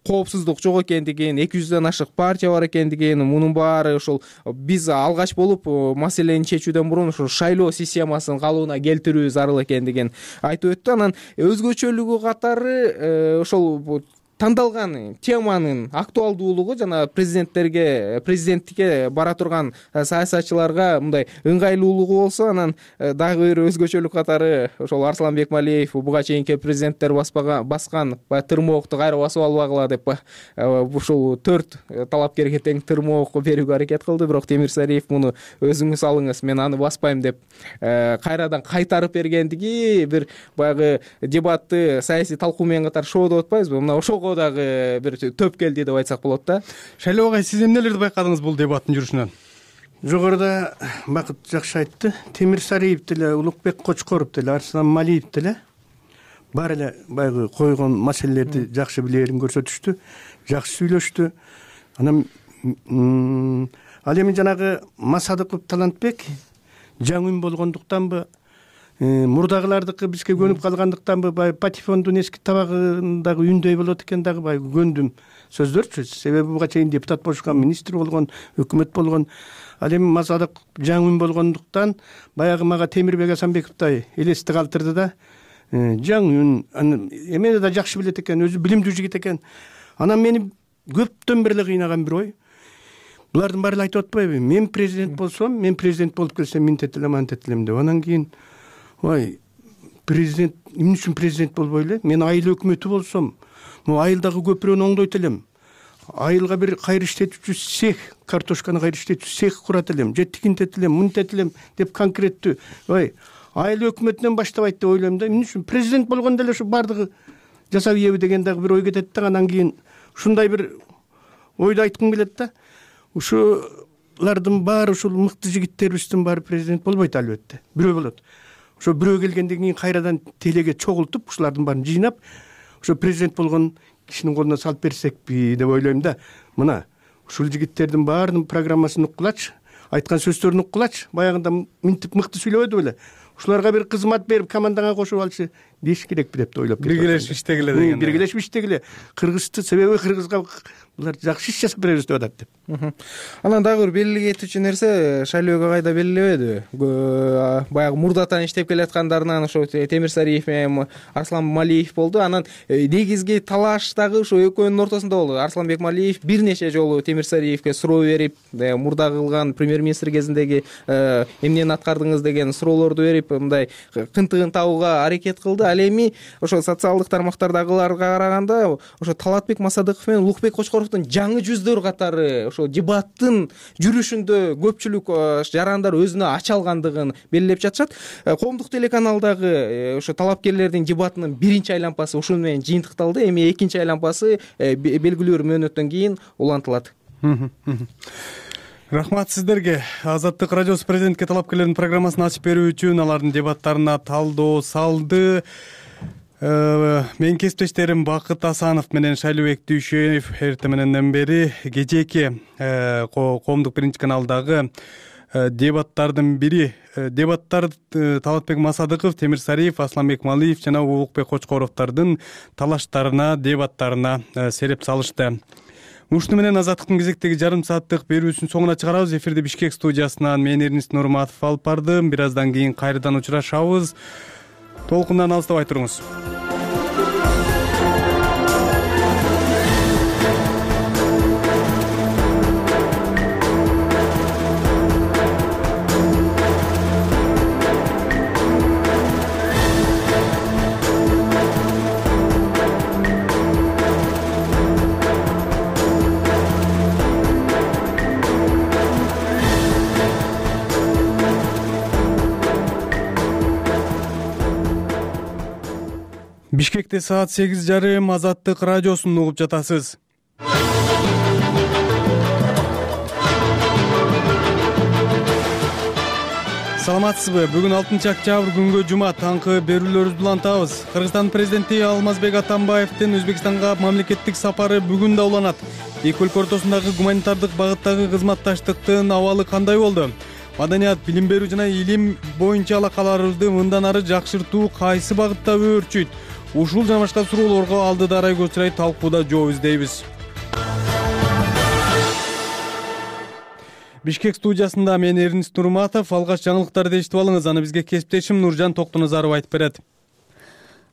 коопсуздук жок экендигин, 200дөн ашык партия бар экендигин, мунун баары ошол биз алгач болуп маселени чечүүдөн мурун ошол шайлоо системасын калыбына келтирүү зарыл экендигин айтып өттү. Анан өзгөчөлүгү катары ошол тандалган теманын актуалдуулугу жана президенттикке бара турган саясатчыларга мындай ыңгайлуулугу болсо, анан дагы бир өзгөчөлүк катары ошол Арсланбек Малиев буга чейинки президенттер баскан тырмоокту кайра басып албагыла деп ушул 4 талапкерге тең тырмоок берүүгө аракет кылды. Бирок Темир Сариев муну өзүңүз алыңыз, мен аны баспайм деп кайрадан кайтарып бергендиги бир баягы дебатты саясий талкуу менен катар шоу деп атпайбызбы, мына ошого дагы бир төп келди деп айтсак болот да. Шайлоо агай, сиз эмнелерди байкадыңыз бул дебаттын жүрүшүнөн? Жогоруда Бакыт жакшы айтты. Темир Сариев деле, Улукбек Кочкоров деле, Арслан Малиев деле баары эле баягы койгон маселелерди жакшы билерин көрсөтүштү, жакшы сүйлөштү. Анан ал эми жанагы Масадыков Талантбек жаңы үн болгондуктанбы, мурдагылардыкы бизге көнүп калгандыктанбы, баягы патефондун эски табагындагы үндөй болот экен, дагы баягы көндүм сөздөрчү. Себеби буга чейин депутат болушкан, министр болгон, өкмөт болгон. Ал эми Масадык жаңы үн болгондуктан баягы мага Темирбек Асанбековдой элестик калтырды да. Жаңы үн эмени да жакшы билет экен, өзү билимдүү жигит экен. Анан мени көптөн бери эле кыйнаган бир ой. Булардын баары эле айтып атпайбы? Мен президент болсом, мен президент болуп келсем мынтет элем, антет элем деп. Анан кийин ой, президент эмне үчүн президент болбой эле? Мен айыл өкмөтү болсом, айылдагы көпүрөнү оңдойт элем. Айылга бир кайры иштетүүчү цех, картошканы кайры иштетүүчү цех курат элем, же тикинтет элем, мынтет элем деп конкреттүү. Ой, айыл өкмөтүнөн баштабайт деп ойлойм да. Эмне үчүн президент болгондо эле ушу бардыгы жасап ийеби деген дагы бир ой кетет да. Анан кийин ушундай бир ойду айткым келет да. Ушулардын баары, ушул мыкты жигиттерибиздин баары президент болбойт албетте. Бирөө болот. Ошо бирөө келгенден кийин кайрадан телеге чогултуп, ушулардын баарын жыйнап, ошо президент болгон кишинин колуна салып берсекпи деп ойлойм да. Мына ушул жигиттердин баарынын программасын уккулачы, айткан сөздөрүн уккулачы, баягында мынтип мыкты сүйлөбөдү беле. Ушуларга бир кызмат берип, командаңа кошуп алчы деш керекпи деп ойлоп кетти. Биргелешип иштегиле деген. Биргелешип иштегиле. Кыргызды, себеби кыргызга булар жакшы иш жасап беребиз деп атат деп. Анан дагы бир белгилей кетүүчү нерсе, шайлоого кайда белгилебеди. Баягы мурдатан иштеп келаткандарынан ошо Темир Сариев менен Арслан Малиев болду. Анан негизги талаш дагы ошо экөөнүн ортосунда болду. Арсланбек Малиев бир нече жолу Темир Сариевке суроо берип, мурда кылган премьер-министр кезиндеги эмнени аткардыңыз деген суроолорду берип, мындай кынтыгын табууга аракет кылды. Ал эми ошо социалдык тармактардагыларга караганда ошо Талатбек Масадыков менен Улукбек Кочкоровдун жаңы жүздөр катары ошо дебаттын жүрүшүндө көпчүлүк жарандар өзүнө ача алгандыгын белгилеп жатышат. Коомдук телеканалдагы ошо талапкерлердин дебатынын биринчи айланпасы ушун менен жыйынтыкталды. Эми экинчи айланпасы белгилүү бир мөөнөттөн кийин улантылат. Рахмат сиздерге. Азаттык радиосу президентке талапкерлердин программасын ачып берүү үчүн алардын дебаттарына талдоо салды. Менин кесиптештерим Бакыт Асанов менен Шайлообек Дүйшөев эртең мененден бери кечээки коомдук биринчи каналдагы дебаттардын бири, дебаттар Талатбек Масадыков, Темир Сариев, Арсланбек Малиев жана Улукбек Кочкоровдордун талаштарына, дебаттарына сереп салышты. Ушуну менен азаттыктын кезектеги жарым сааттык берүүсүн соңуна чыгарабыз. Эфирди Бишкек студиясынан мен Эрнис Нурматов алып бардым. Бир аздан кийин кайрадан учурашабыз. Толкундан алыстабай туруңуз. Бишкекте саат 8:30 Азаттык радиосун угуп жатасыз. Саламатсызбы? Бүгүн 6-октябрь күнгө жума таңкы берүүлөрүбүздү улантабыз. Кыргызстан президенти Алмазбек Атамбаевдин Өзбекстанга мамлекеттик сапары бүгүн да уланат. Эки өлкө ортосундагы гуманитардык багыттагы кызматташтыктын абалы кандай болду? Маданият, билим берүү жана илим боюнча алакаларыбызды мындан ары жакшыртуу кайсы багытта өөрчүйт? Ушул жана башка суроолорго алдыда арай көчүрөй талкууда жооп издейбиз. Бишкек студиясында мен Эрнис Нурматов. Алгач жаңылыктарды эшитип алыңыз, аны бизге кесиптешим Нуржан Токтоназаров айтып берет.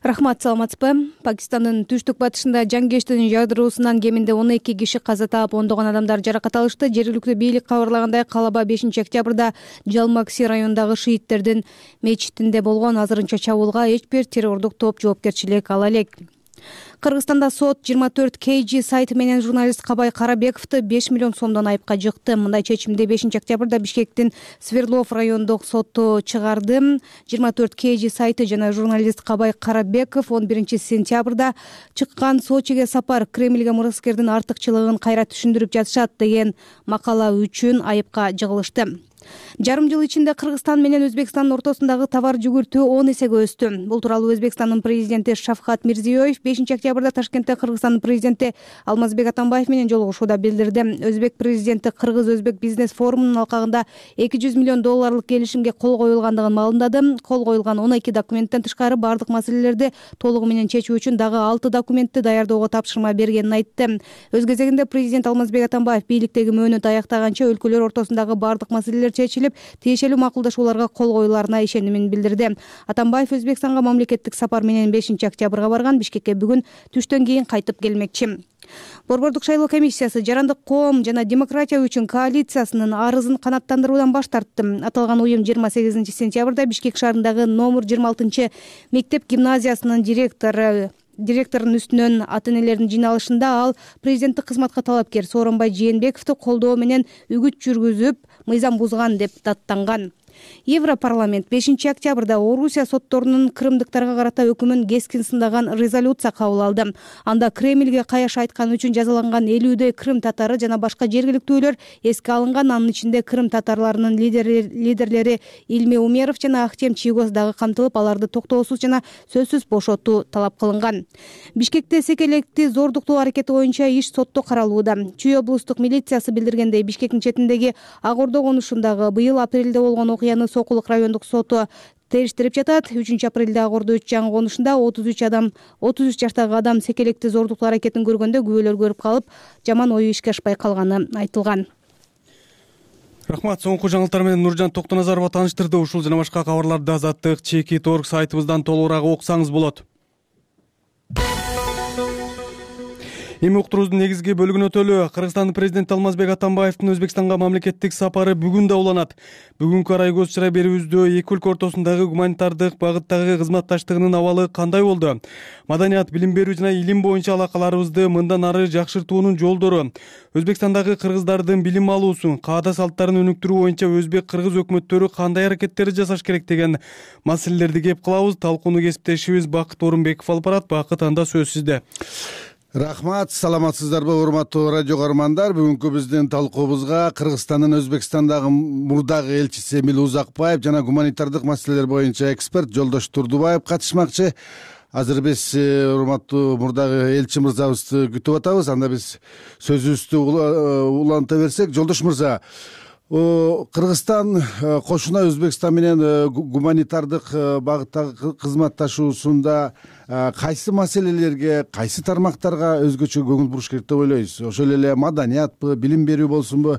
Рахмат, саламатсызбы? Пакистандын түштүк батышында жаңгештин жардыруусунан кеминде 12 киши каза таап, ондогон адамдар жаракат алышты. Жергиликтүү бийлик кабарлагандай, Калаба 5-октябрда Жалмакси районундагы шииттердин мечитинде болгон азырынча чабуулга эч бир террордук топ жоопкерчилик ала элек. Кыргызстанда сот 24 KG сайты менен журналист Кабай Карабековду 5 миллион сомдон айыпка жыкты. Мындай чечимди 5-октябрда Бишкектин Сверлов райондук соту чыгарды. 24 KG сайты жана журналист Кабай Карабеков 11 сентябрда чыккан Сочиге сапар Кремльге мураскердин артыкчылыгын кайра түшүндүрүп жатышат деген макала үчүн айыпка жыгылышты. Жарым жыл ичинде Кыргызстан менен Өзбекстандын ортосундагы товар жүгүртүү 10 эсеге өстү. Бул тууралуу Өзбекстандын президенти Шавкат Мирзиёев 5-октябрда Ташкентте Кыргызстандын президенти Алмазбек Атамбаев менен жолугушууда билдирди. Өзбек президенти Кыргыз-Өзбек бизнес форумунун алкагында $200 миллион келишимге кол коюлгандыгын маалымдады. Кол коюлган 12 документтен тышкары бардык маселелерди толугу менен чечүү үчүн дагы 6 документти даярдоого тапшырма бергенин айтты. Өз кезегинде президент Алмазбек Атамбаев бийликтеги мөөнөт аяктаганча өлкөлөр ортосундагы бардык маселелер чечилип, тиешелүү макулдашууларга кол коюларына ишенимин билдирди. Атамбаев Өзбекстанга мамлекеттик сапар менен 5-октябрга барган. Бишкекке бүгүн түштөн кийин кайтып келмекчи. Борбордук шайлоо комиссиясы Жарандык коом жана демократия үчүн коалициясынын арызын канааттандыруудан баш тартты. Аталган уюм 28 сентябрда Бишкек шаарындагы номер 26 мектеп гимназиясынын директорунун үстүнөн ата-энелердин жыйналышында ал президенттик кызматка талапкер Сооронбай Жээнбековду колдоо менен үгүт жүргүзүп, мыйзам бузган деп даттанган. Европарламент 5-октябрда Орусия сотторунун крымдыктарга карата өкүмүн кескин сындаган резолюция кабыл алды. Анда Кремльге каяш айткан үчүн жазаланган 50 крым татары жана башка жергиликтүүлөр эске алынган. Анын ичинде крым татарларынын лидерлери Илме Умеров жана Ахтем Чийгоз дагы камтылып, аларды токтоосуз жана сөзсүз бошотуу талап кылынган. Бишкекте секелекти зордуктоо аракети боюнча иш сотто каралууда. Чүй облустук милициясы билдиргендей, Бишкектин четиндеги Ак Ордо конушундагы быйыл апрелде болгон окуяны Сокулук райондук соту териштирип жатат. 3 апрелде Ак Ордо 3 жаңы конушунда 33 жаштагы адам секелекти зордуктоо аракетин көргөндө күбөлөр көрүп калып, жаман ою ишке ашпай калганы айтылган. Рахмат, соңку жаңылыктар менен Нуржан Токтоназарова тааныштырды. Ушул жана башка кабарларды Азаттык Чеки.org сайтыбыздан толугураак окусаңыз болот. Эми уктуруубуздун негизги бөлүгүнө өтөлү. Кыргызстандын президенти Алмазбек Атамбаевдин Өзбекстанга мамлекеттик сапары бүгүн да уланат. Бүгүнкү арай көз чырай берүүбүздө эки өлкө ортосундагы гуманитардык багыттагы кызматташтыгынын абалы кандай болду? Маданият, билим берүү жана илим боюнча алакаларыбызды мындан ары жакшыртуунун жолдору, Өзбекстандагы кыргыздардын билим алуусун, каада салттарын өнүктүрүү боюнча өзбек-кыргыз өкмөттөрү кандай аракеттерди жасаш керек деген маселелерди кеп кылабыз. Талкууну кесиптешибиз Бакыт Орунбеков алып барат. Бакыт, анда сөз сизде. Рахмат, саламатсыздарбы урматтуу радио көрөрмандар. Бүгүнкү биздин талкуубузга Кыргызстандын Өзбекстандагы мурдагы элчиси Эмил Узакбаев жана гуманитардык маселелер боюнча эксперт Жолдош Турдубаев катышмакчы. Азыр биз урматтуу мурдагы элчи мырзабызды күтүп атабыз. Анда биз сөзүбүздү уланта берсек, Жолдош мырза, Кыргызстан кошуна Өзбекстан менен гуманитардык багыттагы кызматташуусунда кайсы маселелерге, кайсы тармактарга өзгөчө көңүл буруш керек деп ойлойсуз? Ошол эле маданиятпы, билим берүү болсунбу?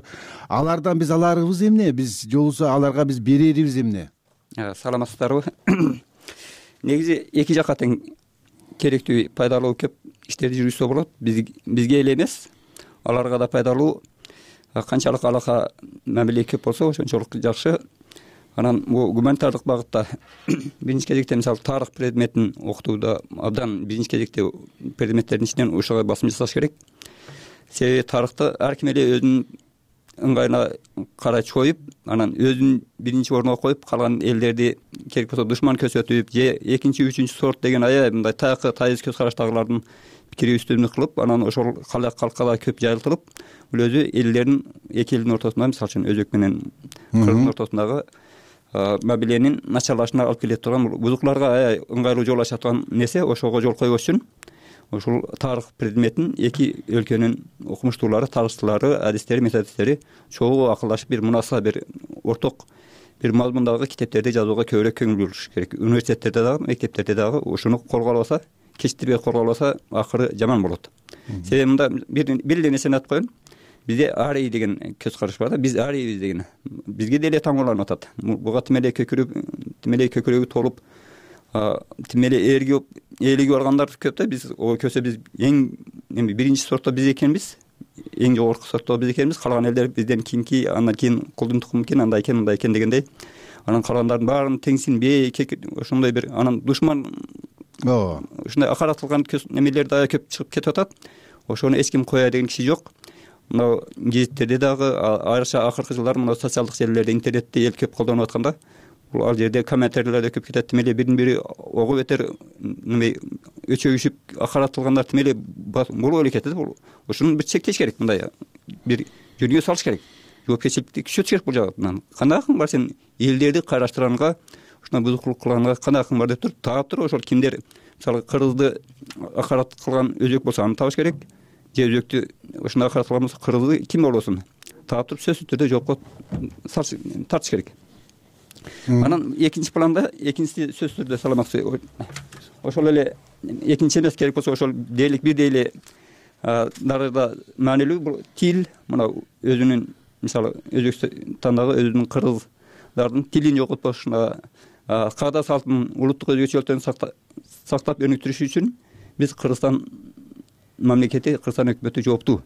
Алардан биз аларыбыз эмне? Биз же болбосо аларга биз берерибиз эмне? Саламатсыздарбы? Негизи эки жакка тең керектүү, пайдалуу көп иштерди жүргүзсө болот. Бизге эле эмес, аларга да пайдалуу. Канчалык алака мамиле көп болсо ошончолук жакшы. Анан бул гуманитардык багытта биринчи кезекте мисалы тарых предметин окутууда абдан биринчи кезекте предметтердин ичинен ушуга басым жасаш керек. Себеби тарыхты ар ким эле өзүнүн ыңгайына карай чоюп, анан өзүн биринчи орунга коюп, калган элдерди керек болсо душман көрсөтүп же экинчи, үчүнчү сорт деген аябай мындай тайкы тайыз көз караштагылардын пикири үстөмдүк кылып, анан ошол калкка да көп жайылтылып, бул өзү элдердин эки элдин ортосунда, мисалы үчүн Өзбек менен Кыргыздын ортосундагы мамиленин начарлашына алып келе турган, бузукларга аябай ыңгайлуу жол ача турган нерсе. Ошого жол койбош үчүн ушул тарых предметин эки өлкөнүн окумуштуулары, тарыхчылары, адистери, методисттери чогуу акылдашып бир мунаса бир орток бир мазмундагы китептерди жазууга көбүрөөк көңүл буруш керек. Университеттерде дагы, мектептерде дагы ушуну колго албаса, кечиктирбей колго албаса, акыры жаман болот. Себеби мында бир эле нерсени айтып коеюн. Бизде арий деген көз караш бар да, биз арийбиз деген. Бизге деле таңууланып атат. Буга тим эле көкүрөгү толуп, тим эле ээлиги баргандар көп да. Биз көрсө биз эң биринчи сортто биз экенбиз, эң жогорку сортто биз экенбиз. Калган элдер бизден кийинки, андан кийин кулдун тукуму экен, андай экен, мындай экен дегендей. Анан калгандардын баарын теңсинбей, ошондой бир анан душман ушундай акаратылган немелер да көп чыгып кетип атат. Ошону эч ким коя деген киши жок. Мына гезиттерде дагы айрыкча акыркы жылдары мына социалдык желилерде, интернетте эл көп колдонуп атканда, бул ал жерде комментарийлер да көп кетет. Тим эле бирин бири ого бетер өчөгүшүп акаратылгандар тим эле болуп эле кетет. Ушуну бир чектеш керек, мындай бир жөнүгө салыш керек. Жоопкерчиликти күчөтүш керек бул жагынан. Кандай акың бар сен элдерди кайраштырганга, ушундай бузукулук кылганга кандай акың бар деп туруп таап туруп, ошол кимдер мисалы кыргызды акарат кылган өзбек болсо аны табыш керек. Же өзбектү ушундай акарат кылган болсо кыргызды ким болбосун таап туруп сөзсүз түрдө жоопко тартыш керек. Анан экинчи планда, экинчиси сөзсүз түрдө саламатсыз. Ошол эле экинчи эмес, керек болсо ошол дээрлик бир дейле дарыда маанилүү бул тил. Мына өзүнүн мисалы Өзбекстандагы өзүнүн кыргыздардын тилин жоготпош, каада салтын, улуттук өзгөчөлүктөрүн сактап өнүктүрүш үчүн биз Кыргызстан мамлекети, Кыргызстан өкмөтү жооптуу.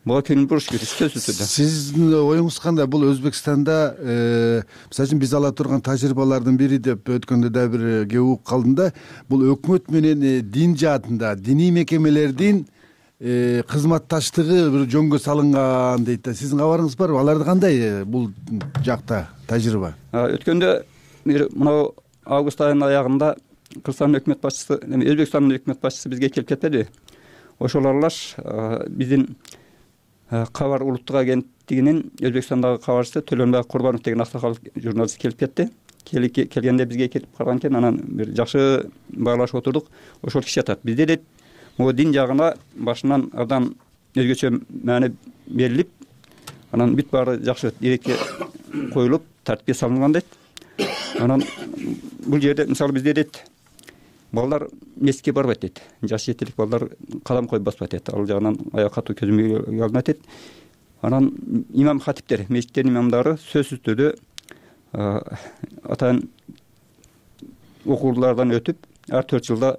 Буга көңүл буруш керек, сөзсүз түрдө. Сиздин оюңуз кандай? Бул Өзбекстанда мисалы үчүн биз ала турган тажрыйбалардын бири деп өткөндө да бир кеп угуп калдым да, бул өкмөт менен дин жаатында диний мекемелердин кызматташтыгы бир жөнгө салынган дейт да. Сиздин кабарыңыз барбы? Аларда кандай бул жакта тажрыйба? Өткөндө мына август айынын аягында Кыргызстандын өкмөт башчысы, Өзбекстандын өкмөт башчысы бизге келип кетпедиби? Ошол аралаш биздин кабар улуттук агенттигинин Өзбекстандагы кабарчысы Төлөнбай Курбанов деген аксакал журналист келип кетти. Келгенде бизге келип калган экен, анан бир жакшы баалашып отурдук. Ошол киши айтат, бизде дейт, могу дин жагына башынан абдан өзгөчө маани берилип, анан бүт баары жакшы ирекке коюлуп, тартипке салынган дейт. Анан бул жерде мисалы бизде дейт, балдар мектепке барбайт дейт. Жаш жетилик балдар кадам коюп баспайт дейт. Ал жагынан аяк катуу көзөмөлгө алынат дейт. Анан имам хатиптер, мечиттердин имамдары сөзсүз түрдө атайын окуулардан өтүп, ар 4 жылда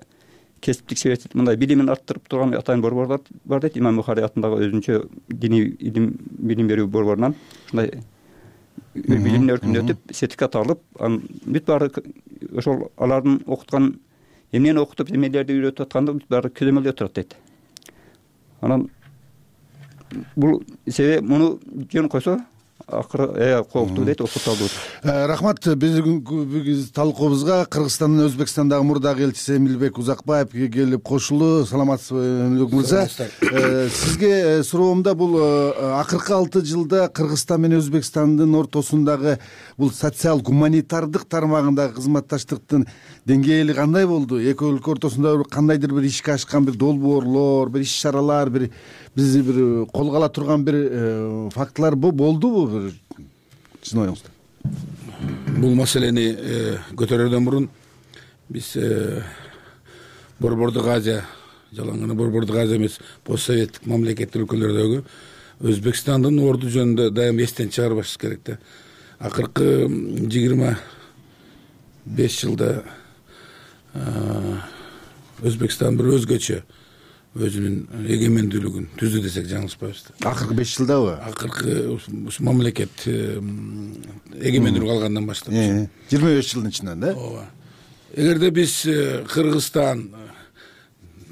кесиптик себептик мындай билимин арттырып турган атайын борборлор бар дейт. Имам Бухари атындагы өзүнчө диний билим берүү борборунан ушундай билимдин өркүндө өтүп, сертификат алып, бүт баары ошол алардын окуткан эмнени окутуп, эмнелерди үйрөтүп атканды бүт баары көзөмөлдө турат дейт. Анан бул себеби муну жөн койсо акыры кооптуу дейт, окуталдуу. Рахмат. Биздин талкуубузга Кыргызстандын Өзбекстандагы мурдагы элчиси Эмилбек Узакбаев келип кошулду. Саламатсызбы, Эмилбек мырза? Сизге суроомда бул акыркы 6 жылда Кыргызстан менен Өзбекстандын ортосундагы бул социал гуманитардык тармагындагы кызматташтыктын деңгээли кандай болду? Эки өлкө ортосунда кандайдыр бир ишке ашкан бир долбоорлор, бир иш-чаралар, бизди бир колго ала турган бир фактылар болдубу? сиздин оюңузда? Бул маселени көтөрүүдөн мурун биз Борбордук Азия, жалаң гана Борбордук Азия эмес, постсоветтик мамлекеттик өлкөлөрдөгү Өзбекстандын орду жөнүндө дайым эстен чыгарбаш керек да. Акыркы 25 жылда Өзбекстан бир өзгөчө өзүнүн эгемендүүлүгүн түздү десек жаңылышпайбыз да. Акыркы 5 жылдабы? Акыркы ушу мамлекет эгемендүүлүк алгандан баштап 25 жылдын ичинен да. Ооба. Эгерде биз Кыргызстан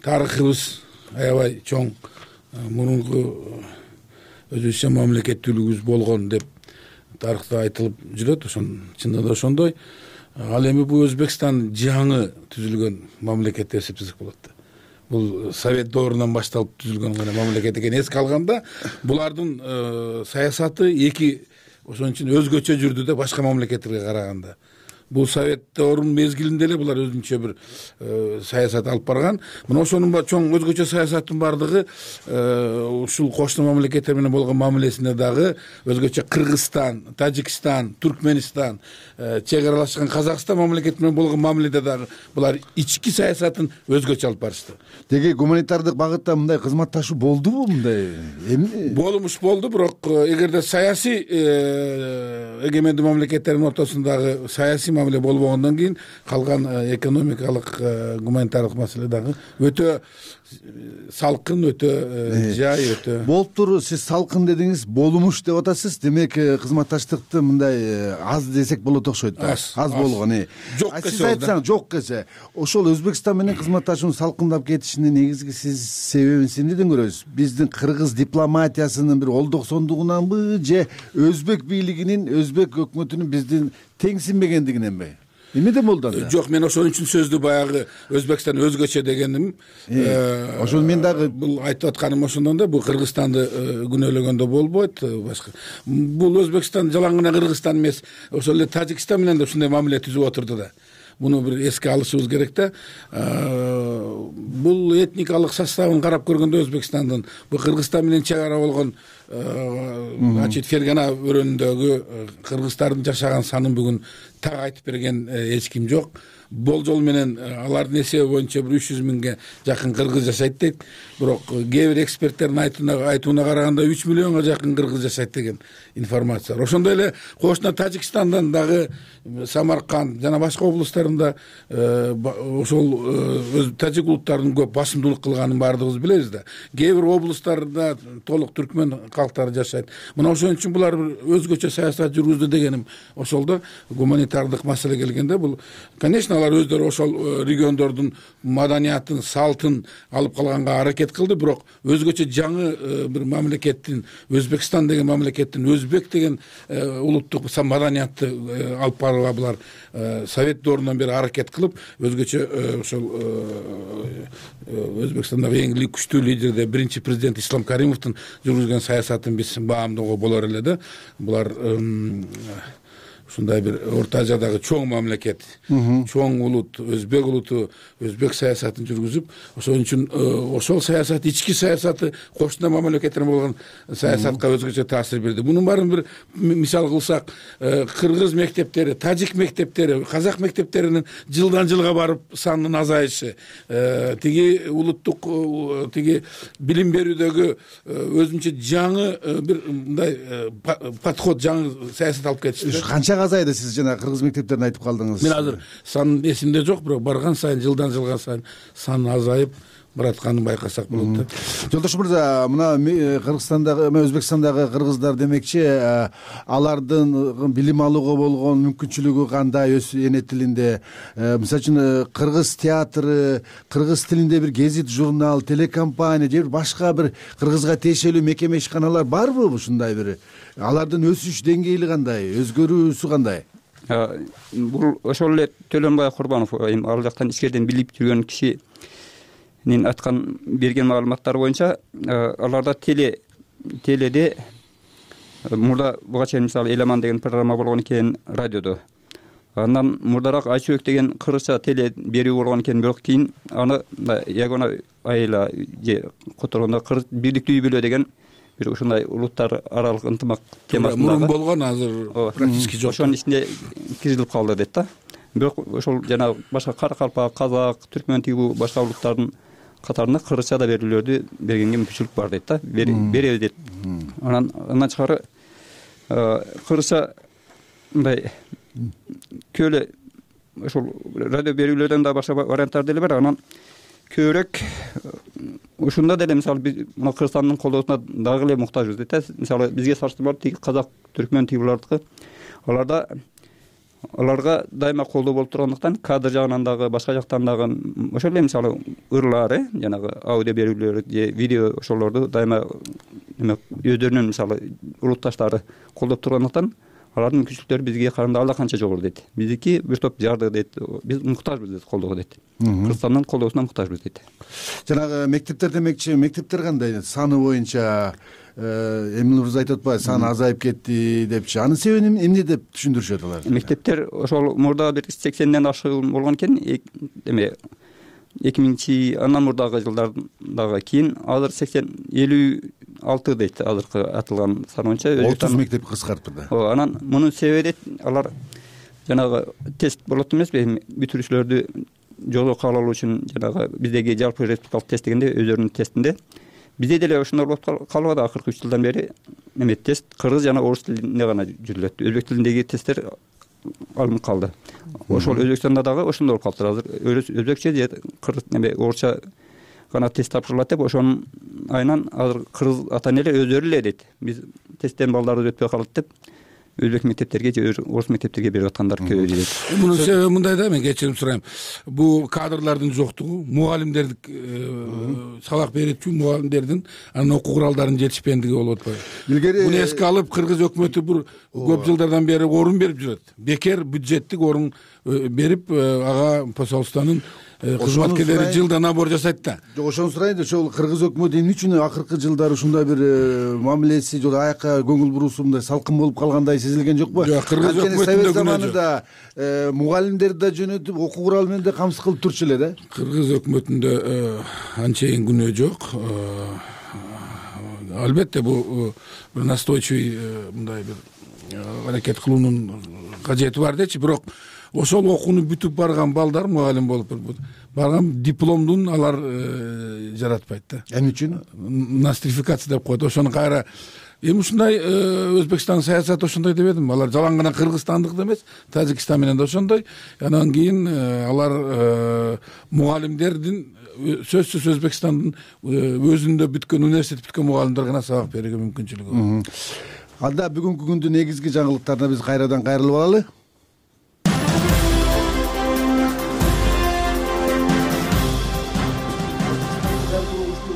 тарыхыбыз аябай чоң, мурунку өзүбүзчө мамлекеттүүлүгүбүз болгон деп тарыхта айтылып жүрөт, чындыгында да ошондой. Ал эми бул Өзбекстан жаңы түзүлгөн мамлекет деп эсептесек болот да. Бул Совет доорунан башталып түзүлгөн гана мамлекет экенин эске алганда, булардын саясаты ошон үчүн өзгөчө жүрдү да башка мамлекеттерге караганда. Бул Совет доорунун мезгилинде эле булар өзүнчө бир саясат алып барган. Мына ошонун чоң өзгөчө саясаттын бардыгы ушул кошуна мамлекеттер менен болгон мамилесинде дагы өзгөчө Кыргызстан, Тажикстан, Түркменистан, чек аралашкан Казакстан мамлекети менен болгон мамиледе дагы булар ички саясатын өзгөчө алып барышты. Деги гуманитардык багытта мындай кызматташуу болдубу мындай? Болмуш болду, бирок эгерде саясий эгемендүү мамлекеттердин ортосундагы саясий мамиле болбогондон кийин калган экономикалык гуманитардык маселе дагы өтө салкын, өтө жай, өтө болуптур. Сиз салкын дедиңиз, болмуш деп атасыз. Демек кызматташтыкты мындай аз десек болот окшойт. Аз болгон. Сиз айтсаңыз, жок десе, ошол Өзбекстан менен кызматташуунун салкындап кетишинин негизги сиз себебин эмнеден көрөсүз? Биздин кыргыз дипломатиясынын бир олдоксондугунанбы же өзбек бийлигинин, өзбек өкмөтүнүн биздин теңсинбегендигиненби? Эмнеден болду анда? Жок, мен ошон үчүн сөздү баягы Өзбекстан өзгөчө дегеним. Ошол мен дагы бул айтып атканым ошондон да, бул Кыргызстанды күнөөлөгөндө болбойт. Башка бул Өзбекстан жалаң гана Кыргызстан эмес, ошол эле Тажикстан менен да ушундай мамиле түзүп отурду да. Муну бир эске алышыбыз керек да. Бул этникалык составын карап көргөндө Өзбекстандын бул Кыргызстан менен чек ара болгон Фергана өрөөнүндөгү кыргыздардын жашаган санын бүгүн так айтып берген эч ким жок. Болжол менен алардын эсеби боюнча бир 300 миңге жакын кыргыз жашайт дейт. Бирок кээ бир эксперттердин айтууна караганда 3 миллионго жакын кыргыз жашайт деген информация бар. Ошондой эле кошуна Тажикстандан дагы Самарканд жана башка облустарында ошол тажик улуттарынын көп басымдуулук кылганын баардыгыбыз билебиз да. Кээ бир облустарда толук түркмөн калктары жашайт. Мына ошон үчүн булар бир өзгөчө саясат жүргүздү дегеним ошолдо. Гуманитардык маселе келгенде бул, конечно, алар өздөрү ошол региондордун маданиятын, салтын алып калганга аракет кылды, бирок өзгөчө жаңы бир мамлекеттин, Өзбекстан деген мамлекеттин өзбек деген улуттук маданиятты алып барууга булар Совет доорунан бери аракет кылып, өзгөчө ошол Өзбекстандагы эң күчтүү лидерде биринчи президент Ислам Каримовдун жүргүзгөн саясатын биз баамдоого болор эле да. Булар ушундай бир Орто Азиядагы чоң мамлекет, чоң улут, өзбек улуту, өзбек саясатын жүргүзүп, ошон үчүн ошол саясат, ички саясаты кошуна мамлекеттер болгон саясатка өзгөчө таасир берди. Мунун баарын бир мисал кылсак, кыргыз мектептери, тажик мектептери, казак мектептеринин жылдан жылга барып санынын азайышы, тиги улуттук тиги билим берүүдөгү өзүнчө жаңы бир мындай подход, жаңы саясат алып кетишти. Канча азайды? Сиз жана кыргыз мектептерин айтып калдыңыз. Мен азыр сан эсимде жок, бирок барган сайын, жылдан жылга сайын сан азайып баратканын байкасак болот да. Жолдош мырза, мына Кыргызстандагы, Өзбекстандагы кыргыздар демекчи, алардын билим алууга болгон мүмкүнчүлүгү кандай өз эне тилинде? Мисалы үчүн кыргыз театры, кыргыз тилинде бир гезит, журнал, телекомпания же башка бир кыргызга тиешелүү мекеме ишканалар барбы? Ушундай бир алардын өсүш деңгээли кандай, өзгөрүүсү кандай? Бул ошол эле Төлөнбай Курбанов ал жактан ичкериден билип жүргөн кишинин айткан берген маалыматтары боюнча, аларда теледе мурда буга чейин мисалы Эламан деген программа болгон экен радиодо. Андан мурдараак Айчүрөк деген кыргызча теле берүү болгон экен, бирок кийин аны Ягона айла же которгондо Кыргыз бийликтүү үй бүлө деген бир ушундай улуттар аралык ынтымак темасында мурун болгон, азыр практически жок. Ошонун ичинде киргизилип калды дейт да. Бирок ошол жанагы башка каракалпак, казак, түркмөн тигүү башка улуттардын катарында кыргызча да берүүлөрдү бергенге мүмкүнчүлүк бар дейт да. Беребиз дейт. Анан тышкары кыргызча мындай көөлө ошол радио берүүлөрдөн да башка варианттар деле бар. Анан көбүрөөк ушунда деле мисалы биз мына Кыргызстандын колдоосуна дагы эле муктажбыз дейт. Мисалы бизге салыштырмалуу тиги казак, түркмөн тигүүлөрдүкү аларга дайыма колдоо болуп тургандыктан кадр жагынан дагы башка жактан дагы ошол эле мисалы ырлары, жанагы аудио берүүлөр же видео ошолорду дайыма өздөрүнүн мисалы улутташтары колдоп тургандыктан алардын мүмкүнчүлүктөрү бизге караганда ала канча жогору дейт. Биздики бир топ жарды дейт. Биз муктажбыз дейт колдоого дейт. Кыргызстандын колдоосуна муктажбыз дейт. Жанагы мектептер демекчи, мектептер кандай саны боюнча Эмил мырза айтып атпайбы, саны азайып кетти депчи. Анын себебин эмне деп түшүндүрүшөт алар? Мектептер ошол мурда бир 80ден ашык болгон экен. Эме 2000 андан мурдагы жылдардагы кийин азыр 56 дейт азыркы атылган сан боюнча. 30 мектеп кыскартты да. Анан мунун себеби дейт, алар жанагы тест болот эмеспи, бүтүрүүчүлөрдү жолго кабыл алуу үчүн жанагы биздеги жалпы республикалык тест дегенде өздөрүнүн тестинде бизде деле ошондой болуп калбады. Акыркы 3 жылдан бери эме тест кыргыз жана орус тилинде гана жүрүлөт. Өзбек тилиндеги тесттер алынып калды. Ошол Өзбекстанда дагы ошондой болуп калыптыр. Азыр өзбекче же кыргыз эме орусча гана тест тапшырылат деп ошонун айынан азыр кыргыз ата энелер өздөрү эле дейт. Биз тесттен балдарыбыз өтпөй калат деп өзбек мектептерге же орус мектептерге берип аткандар көбөйдү дейт. Мунун себеби мындай да, мен кечирим сурайм. Бул кадрлардын жоктугу, мугалимдердин сабак берүүчү мугалимдердин анын окуу куралдарынын жетишпендиги болуп атпайбы? Илгери муну эске алып кыргыз өкмөтү бир көп жылдардан бери орун берип жүрөт. Бекер бюджеттик орун берип ага посольствонун кызматкерлери жылда набор жасайт да. Жок, ошону сурайын, ошол кыргыз өкмөтү эмне үчүн акыркы жылдары ушундай бир мамилеси же аяка көңүл буруусу мындай салкын болуп калгандай сезилген жокпу? Жок, кыргыз өкмөтүндө заманында мугалимдерди да жөнөтүп, окуу куралы менен да камсыз кылып турчу эле да. Кыргыз өкмөтүндө анчейин күнөө жок. Албетте бул бир настойчивый мындай бир аракет кылуунун кажети бар дечи, бирок ошол окууну бүтүп барган балдар мугалим болуп барган дипломдун алар жаратпайт да. Эмне үчүн? Нострификация деп коет. Ошону кайра эми ушундай Өзбекстан саясаты ошондой деп едим. Алар жалаң гана Кыргызстандык эмес, Тажикстан менен да ошондой. Анан кийин алар мугалимдердин сөзсүз Өзбекстандын өзүндө бүткөн университет бүткөн мугалимдер гана сабак берүүгө мүмкүнчүлүгү бар. Анда бүгүнкү күндүн негизги жаңылыктарына биз кайрадан кайрылып алалы.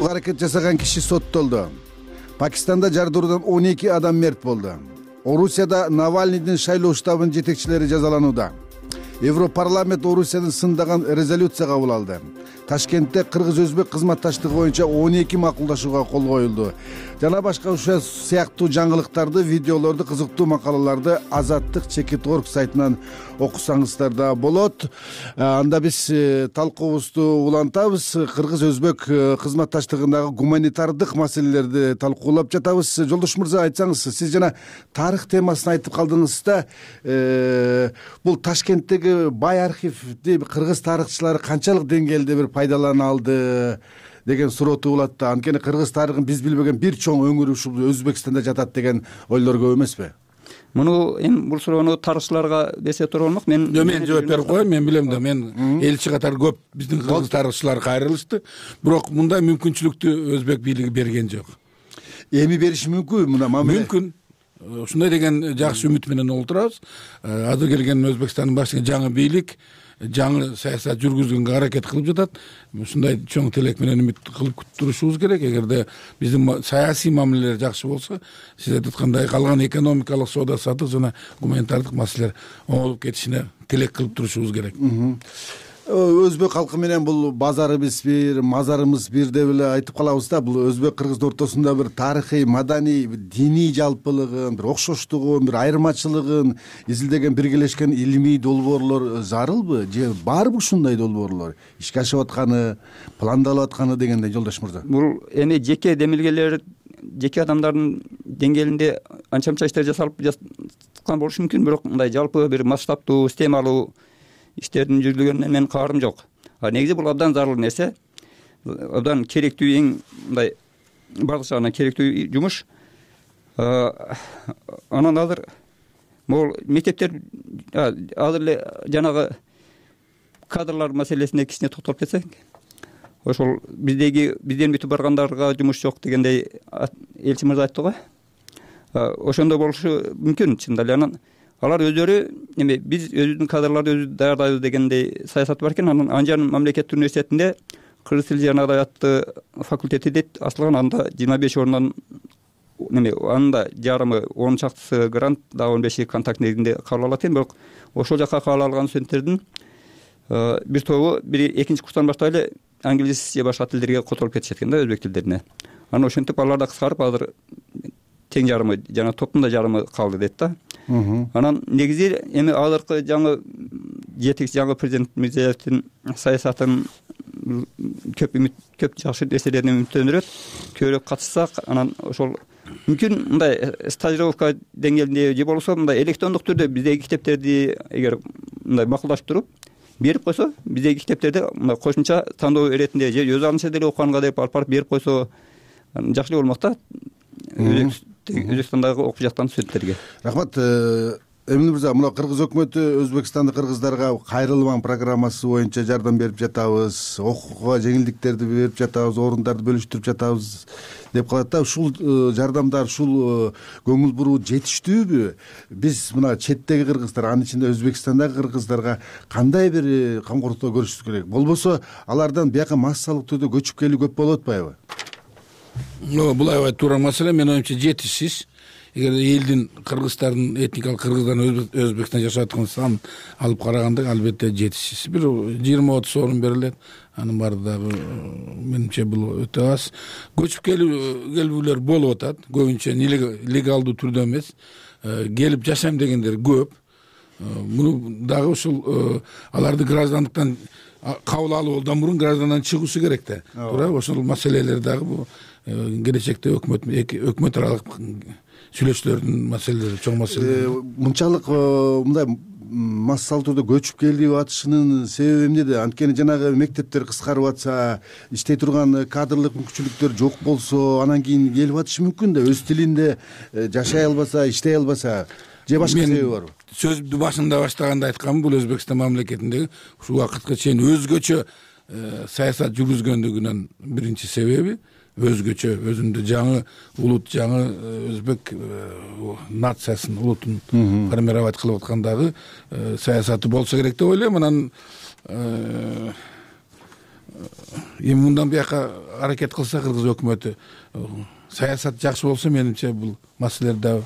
Аракет жасаган киши соттолду. Пакистанда жардыруудан 12 адам мерт болду. Орусияда Навальныйдын шайлоо штабынын жетекчилери жазаланууда. Европарламент Орусиянын сындаган резолюция кабыл алды. Ташкентте кыргыз-өзбек кызматташтыгы боюнча 12 макулдашууга кол коюлду. Жана башка ушул сыяктуу жаңылыктарды, видеолорду, кызыктуу макалаларды Азаттык.org сайтынан окусаңыздар да болот. Анда биз талкуубузду улантабыз. Кыргыз-өзбек кызматташтыгындагы гуманитардык маселелерди талкуулап жатабыз. Жолдош мырза, айтсаңыз, сиз жана тарых темасын айтып калдыңыз да, бул Ташкенттеги бай архивди кыргыз тарыхчылары канчалык деңгээлде бир пайдалана алды деген суроо туулат да. Анткени кыргыз тарыхын биз билбеген бир чоң өңүр ушул Өзбекстанда жатат деген ойлор көп эмеспи? Муну эми бул суроону тарыхчыларга берсе туура болмок. Мен жооп берип коеюн. Мен билем да, мен элчи катары көп биздин кыргыз тарыхчылар кайрылышты. Бирок мындай мүмкүнчүлүктү өзбек бийлиги берген жок. Эми бериши мүмкүн мына мамиле? Мүмкүн. Ушундай деген жакшы үмүт менен олтурабыз. Азыр келген Өзбекстандын башчысы жаңы бийлик жаңы саясат жүргүзгөнгө аракет кылып жатат. Ушундай чоң тилек менен үмүт кылып турушубуз керек. Эгерде биздин саясий мамилелер жакшы болсо, сиз айткандай калган экономикалык, соода саттык жана гуманитардык маселелер оңолуп кетишине тилек кылып турушубуз керек. Өзбек халкы менен бул базарыбыз бир, мазарыбыз бир деп эле айтып калабыз да. Бул өзбек кыргыздын ортосунда бир тарыхый, маданий, диний жалпылыгын, бир окшоштугун, бир айырмачылыгын изилдеген биргелешкен илимий долбоорлор зарылбы же барбы ушундай долбоорлор? Ишке ашып атканы, пландалып атканы дегендей, жолдош мырза. Бул эми жеке демилгелер жеке адамдардын деңгээлинде анча мынча иштер жасалып жаткан болушу мүмкүн, бирок мындай жалпы бир масштабтуу системалуу иштердин жүргүзүлгөнүнө менин кабарым жок. Негизи бул абдан зарыл нерсе, абдан керектүү, эң мындай бардык жагынан керектүү жумуш. Анан азыр могул мектептер азыр эле жанагы кадрлар маселесине кичине токтолуп кетсек, ошол бизден бүтүп баргандарга жумуш жок дегендей элчи мырза айтты го. Ошондой болушу мүмкүн чындап эле. Анан алар өздөрү биз өзүбүздүн кадрларды өзүбүз даярдайбыз дегендей саясаты бар экен. Анан Анжан мамлекеттик университетинде кыргыз тили жана адабияты факультети дейт ачылган. Анда 25 орундан анда жарымы 10 чактысы грант, дагы 15 контакт негизинде кабыл алат экен. Бирок ошол жака кабыл алган студенттердин бир тобу экинчи курстан баштап эле англис же башка тилдерге которуп кетишет экен да, өзбек тилдерине. Анан ошентип алар да кыскарып азыр тең жарымы жана топтун да жарымы калды дейт да. Анан негизи эми азыркы жаңы жетекчи жаңы президент Мирзиёевдин саясатын көп жакшы нерселерден үмүттөнүрөт. Көбүрөөк катышсак, анан ошол мүмкүн мындай стажировка деңгээлинде же болбосо мындай электрондук түрдө биздеги китептерди эгер мындай макулдашып туруп берип койсо, биздеги китептерди мындай кошумча тандоо иретинде же өз алдынча деле окуганга деп алып барып берип койсо жакшы эле болмок да, Өзбекстандагы окуп жаткан студенттерге. Рахмат. Эмил мырза, мына кыргыз өкмөтү Өзбекстандык кыргыздарга кайрылмаң программасы боюнча жардам берип жатабыз, окууга жеңилдиктерди берип жатабыз, орундарды бөлүштүрүп жатабыз деп калат да. Ушул жардамдар, ушул көңүл буруу жетиштүүбү? Биз мына четтеги кыргыздар, анын ичинде Өзбекстандагы кыргыздарга кандай бир камкорлукту көрүшүбүз керек? Болбосо алардан бияка массалык түрдө көчүп келүү көп болуп атпайбы? Бул аябай туура маселе. Менин оюмча жетишсиз. Эгер элдин кыргыздардын этникалык кыргыздардын Өзбекстанда жашап аткан санын алып караганда албетте жетишсиз. Бир 20-30 орун берилет. Анын баары дагы менимче бул өтө аз. Көчүп келүүлөр болуп атат. Көбүнчө легалдуу түрдө эмес, келип жашайм дегендер көп. Муну дагы ушул аларды граждандыктан кабыл алуудан мурун граждандан чыгуусу керек да. Туура, ошол маселелер дагы бул келечекте өкмөт аралык сүйлөшүүлөрдүн маселелери, чоң маселе. Мынчалык мындай массалуу түрдө көчүп келип атышынын себеби эмнеде? Анткени жанагы мектептер кыскарып атса, иштей турган кадрлык мүмкүнчүлүктөр жок болсо, анан кийин келип атышы мүмкүн да. Өз тилинде жашай албаса, иштей албаса, же башка себеби барбы? Сөздү башында баштаганда айтканмын, бул Өзбекстан мамлекетиндеги ушул убакытка чейин өзгөчө саясат жүргүзгөндүгүнүн биринчи себеби өзгөчө, өзүндө жаңы улут, жаңы өзбек нациясын, улутун формировать кылып аткандагы саясаты болсо керек деп ойлойм. Анан эми мындан бияка аракет кылса кыргыз өкмөтү, саясат жакшы болсо, менимче бул маселелерди дагы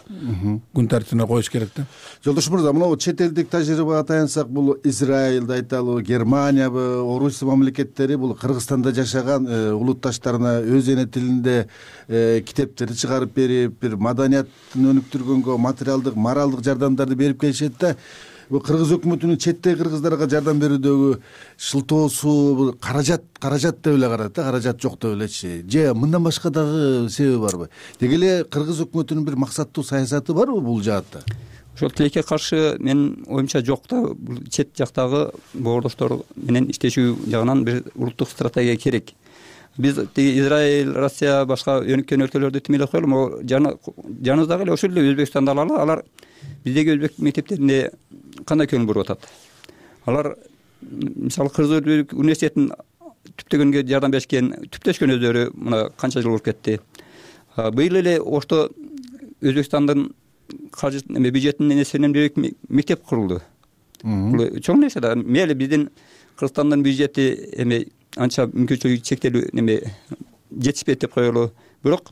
күн тартибине коюш керек да. Жолдош мырза, мына чет элдик тажрыйбага таянсак, бул Израилди айталы, Германиябы, Орусия мамлекеттери бул Кыргызстанда жашаган улутташтарына өз эне тилинде китептерди чыгарып берип, бир маданияттын өнүктүргөнгө материалдык, моралдык жардамдарды берип келишет да. Бул кыргыз өкмөтүнүн четтеги кыргыздарга жардам берүүдөгү шылтоосу каражат деп эле карайт да, каражат жок деп элечи. Же мындан башка дагы себеби барбы? Деги эле кыргыз өкмөтүнүн бир максаттуу саясаты барбы бул жаатта? Ошол тилекке каршы менин оюмча жок да. Бул чет жактагы боордоштор менен иштешүү жагынан бир улуттук стратегия керек. Биз Израиль, Россия, башка өнүккөн өлкөлөрдү тимелей коелу, жаныбыздагы эле ошол эле Өзбекстанды алалы. Алар биздеги өзбек мектептерине кандай көңүл буруп атат? Алар мисалы Кыргыз университетин түптөгөнгө жардам беришкен, түптөшкөн өздөрү мына канча жыл болуп кетти. Быйыл эле ошто Өзбекстандын каржы бюджетинин эсебинен мектеп курулду. Бул чоң нерсе да. Мейли биздин Кыргызстандын бюджети эми анча мүмкүнчүлүгү чектелүү жетишпейт деп коелу. Бирок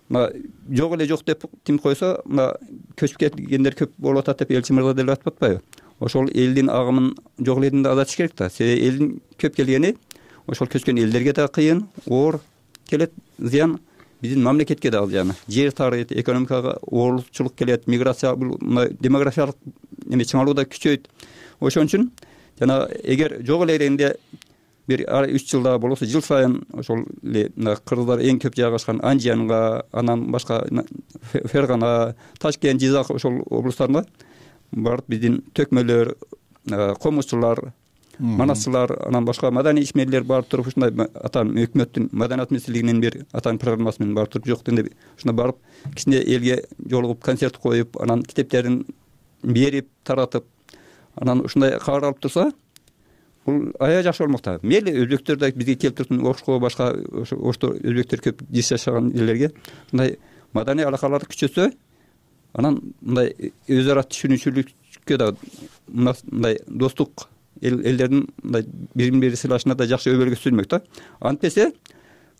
жок эле жок деп тим койсо, көчүп кеткендер көп болуп атат деп элчи мырза деле айтып атпайбы? Ошол элдин агымын жок элдин да азайтыш керек да. Себеби элдин көп келгени ошол көчкөн элдерге да кыйын, оор келет, зыян биздин мамлекетке да зыян. Жер тарыйт, экономикага оорчулук келет, миграция, демографиялык чыңалуу да күчөйт. Ошон үчүн жана эгер жок эле дегенде бир 3 жылда болбосо жыл сайын ошол эле кыргыздар эң көп жайгашкан Анжиянга, анан башка Фергана, Ташкент, Жизак ошол облустарына барып биздин төкмөлөр, комузчулар, манасчылар, анан башка маданий ишмерлер барып туруп ушундай атан өкмөттүн маданият министрлигинин бир атан программасы менен барып туруп жок дегенде ушундай барып кичине элге жолугуп концерт коюп, анан китептерин берип таратып, анан ушундай кабар алып турса, бул аябай жакшы болмок да. Мейли өзбектер да бизге келип туруп Ошко, башка ошто өзбектер көп жашаган жерлерге мындай маданий алакаларды күчөтсө, анан мындай өз ара түшүнүүчүлүккө да мындай достук элдердин мындай бири бири сыйлашына да жакшы өбөлгө түзүлмөк да. Антпесе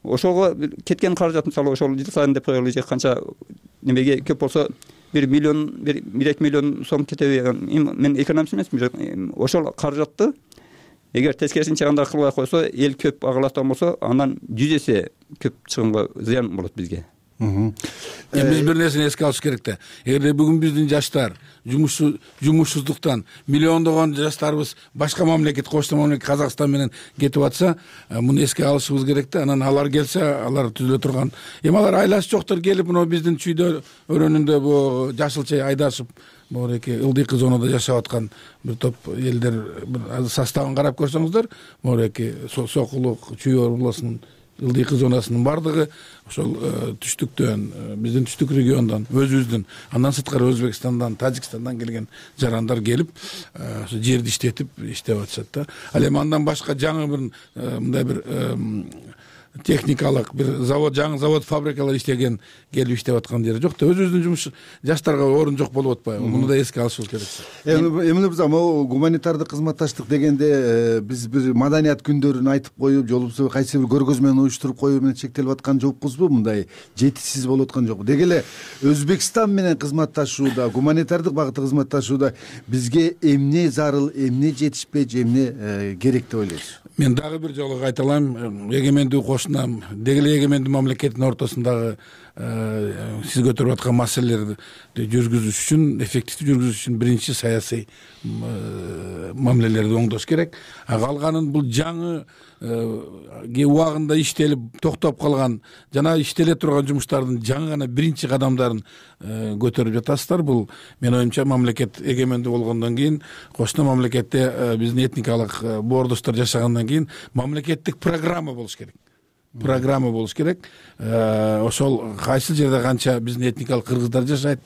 ошого кеткен каражат мисалы ошол жыл сайын деп коелу, же канча немеге көп болсо 1 миллион 1-2 миллион сом кетеби. Мен экономист эмесмин. Ошол каражатты эгер тескерисинче андай кылбай койсо, эл көп агылатан болсо, андан 100 эсе көп чыгымга зыян болот бизге. Биз бир нерсени эске алыш керек да. Эгерде бүгүн биздин жаштар жумушсуздуктан миллиондогон жаштарыбыз башка мамлекет, кошто мамлекет Казакстан менен кетип атса, муну эске алышыбыз керек да. Анан алар келсе, алар түзүлө турган. Алар айласы жоктор келип, мына биздин чүйдө өрөөнүндө бу жашылча айдашып, моеки ылдыйкы зонада жашап аткан бир топ элдер составын карап көрсөңүздөр, моеки Сокулук, Чүй областынын ылдыйкы зонасынын бардыгы ошол түштүктөн, биздин түштүк региондон, өзүбүздүн, андан сырткары Өзбекстандан, Тажикстандан келген жарандар келип, жерди иштетип атышат да. Ал эми андан башка жаңы бир мындай бир техникалык бир завод, жаңы завод, фабрикалар иштеген келип иштеп аткан жери жок да. Өзүбүздүн жумуш жаштарга орун жок болуп атпайбы? Муну да эске алышыбыз керек. Эмне биз могу гуманитардык кызматташтык дегенде биз бир маданият күндөрүн айтып коюп, жолубузду кайсы бир көргөзмөнү уюштуруп коюу менен чектелип аткан жокпузбу? Мындай жетишсиз болуп аткан жокпу? Деги эле Өзбекстан менен кызматташууда, гуманитардык багытта кызматташууда бизге эмне зарыл, эмне жетишпей, эмне керек деп ойлойсуз? Мен дагы бир жолу кайталайм, эгемендүү кошунам, деги эле эгемендүү мамлекеттин ортосундагы сиз көтөрүп аткан маселелерди жүргүзүш үчүн, эффективдүү жүргүзүш үчүн биринчи саясий мамилелерди оңдош керек. Калганын бул жаңы убагында иштелип токтоп калган жана иштеле турган жумуштардын жаңы гана биринчи кадамдарын көтөрүп жатасыздар. Бул менин оюмча мамлекет эгемендүү болгондон кийин, кошуна мамлекетте биздин этникалык боордоштор жашагандан кийин мамлекеттик программа болуш керек. Ошол кайсы жерде канча биздин этникалык кыргыздар жашайт,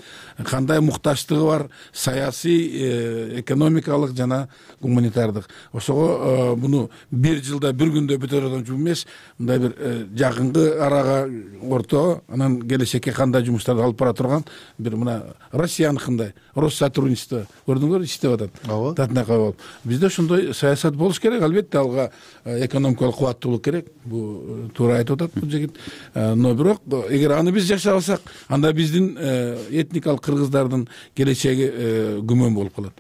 кандай муктаждыгы бар, саясий, экономикалык жана гуманитардык. Ошого муну бир жылда, бир күндө бүтөрөдөн жумуш эмес, мындай бир жакынкы арага орто, анан келечекке кандай жумуштарды алып бара турган бир мына Россияныкындай Россотрудничество көрдүңөрбү, иштеп атат. Татына коюп. Бизде ошондой саясат болуш керек, албетте алга экономикалык кубаттуулук керек. Бу туура айтып атат бул жигит. Но бирок эгер аны биз жашап алсак, анда биздин этникалык кыргыздардын келечеги күмөн болуп калат.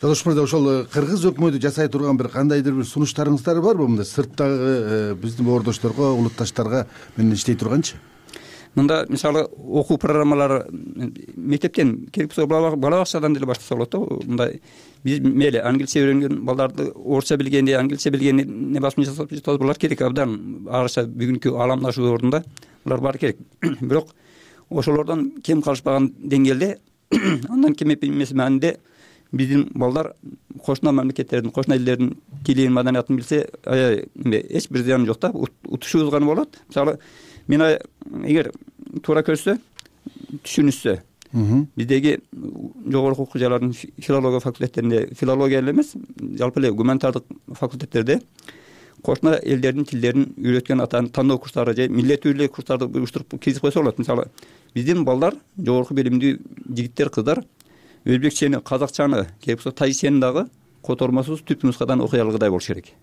Жолдош мырза, ошол кыргыз өкмөтү жасай турган бир кандайдыр бир сунуштарыңыздар барбы? Мындай сырттагы биздин боордошторго, улутташтарга менен иштей турганчы? Мында мисалы окуу программалары мектептен керек болсо бала бакчадан деле баштаса болот да. Мындай биз мейли англисче үйрөнгөн балдарды орусча билгенди, англисче билгенди не басма жасап булар керек абдан. Араша бүгүнкү ааламдашуу ордунда булар баары керек. Бирок ошолордон кем калышпаган деңгээлде, андан кем эмес маанинде биздин балдар кошуна мамлекеттердин, кошуна элдердин тилин, маданиятын билсе, эч бир зыяны жок да. Утушубуз гана болот. Мисалы мен эгер туура көрсө, түшүнүшсө, биздеги жогорку окуу жайлардын филология факультеттеринде, филология эле эмес, жалпы эле гуманитардык факультеттерде кошуна элдердин тилдерин үйрөткөн тандоо курстары же миллеттүү эле курстарды уюштуруп киргизип койсо болот. Мисалы биздин балдар, жогорку билимдүү жигиттер, кыздар өзбекчени, казакчаны, керек болсо тажикчени дагы котормосуз түп нускадан окуй алгыдай болуш керек.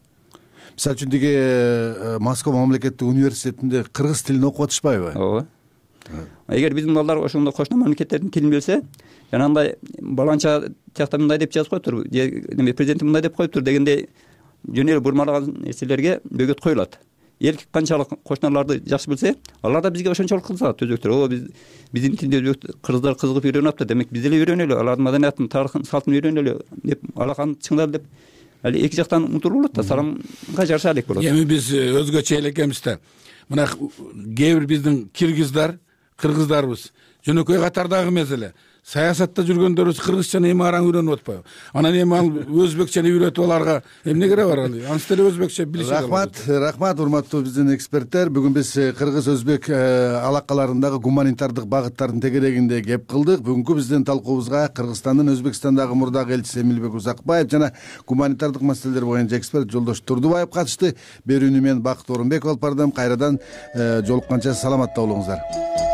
Мисалы үчүн деги Москва мамлекеттик университетинде кыргыз тилин окуп атышпайбы? Ооба. Эгер биздин балдар ошондой кошуна мамлекеттердин тилин билсе, жанагындай баланча тиякта мындай деп жазып коюптур, же президент мындай деп коюптур дегендей жөн эле бурмалаган нерселерге бөгөт коюлат. Эл канчалык кошуналарды жакшы билсе, алар да бизге ошончолук кызыгат. Өзбектер, биздин тилди кыргыздар кызыгып үйрөнүп атты, демек биз деле үйрөнөлү, алардын маданиятын, тарыхын, салтын үйрөнөлү деп алаканы чыңдап деп али эки жактан умтулуп болот да, саламга жараша элек болот. Эми биз өзгөчө эле экенбиз да. Мына кээ бир биздин кыргыздарыбыз жөнөкөй катардагы эмес эле саясатта жүргөндөрүбүз кыргызчаны эми араң үйрөнүп атпайбы? Анан эми ал өзбекчени үйрөтүп аларга эмне кереги бар? Анысы деле өзбекче билиши керек. Рахмат урматтуу биздин эксперттер. Бүгүн биз кыргыз өзбек алакаларындагы гуманитардык багыттардын тегерегинде кеп кылдык. Бүгүнкү биздин талкуубузга Кыргызстандын Өзбекстандагы мурдагы элчиси Эмилбек Узакбаев жана гуманитардык маселелер боюнча эксперт Жолдош Турдубаев катышты. Берүүнү мен Бакыт Орунбеков алып бардым. Кайрадан жолукканча саламатта болуңуздар.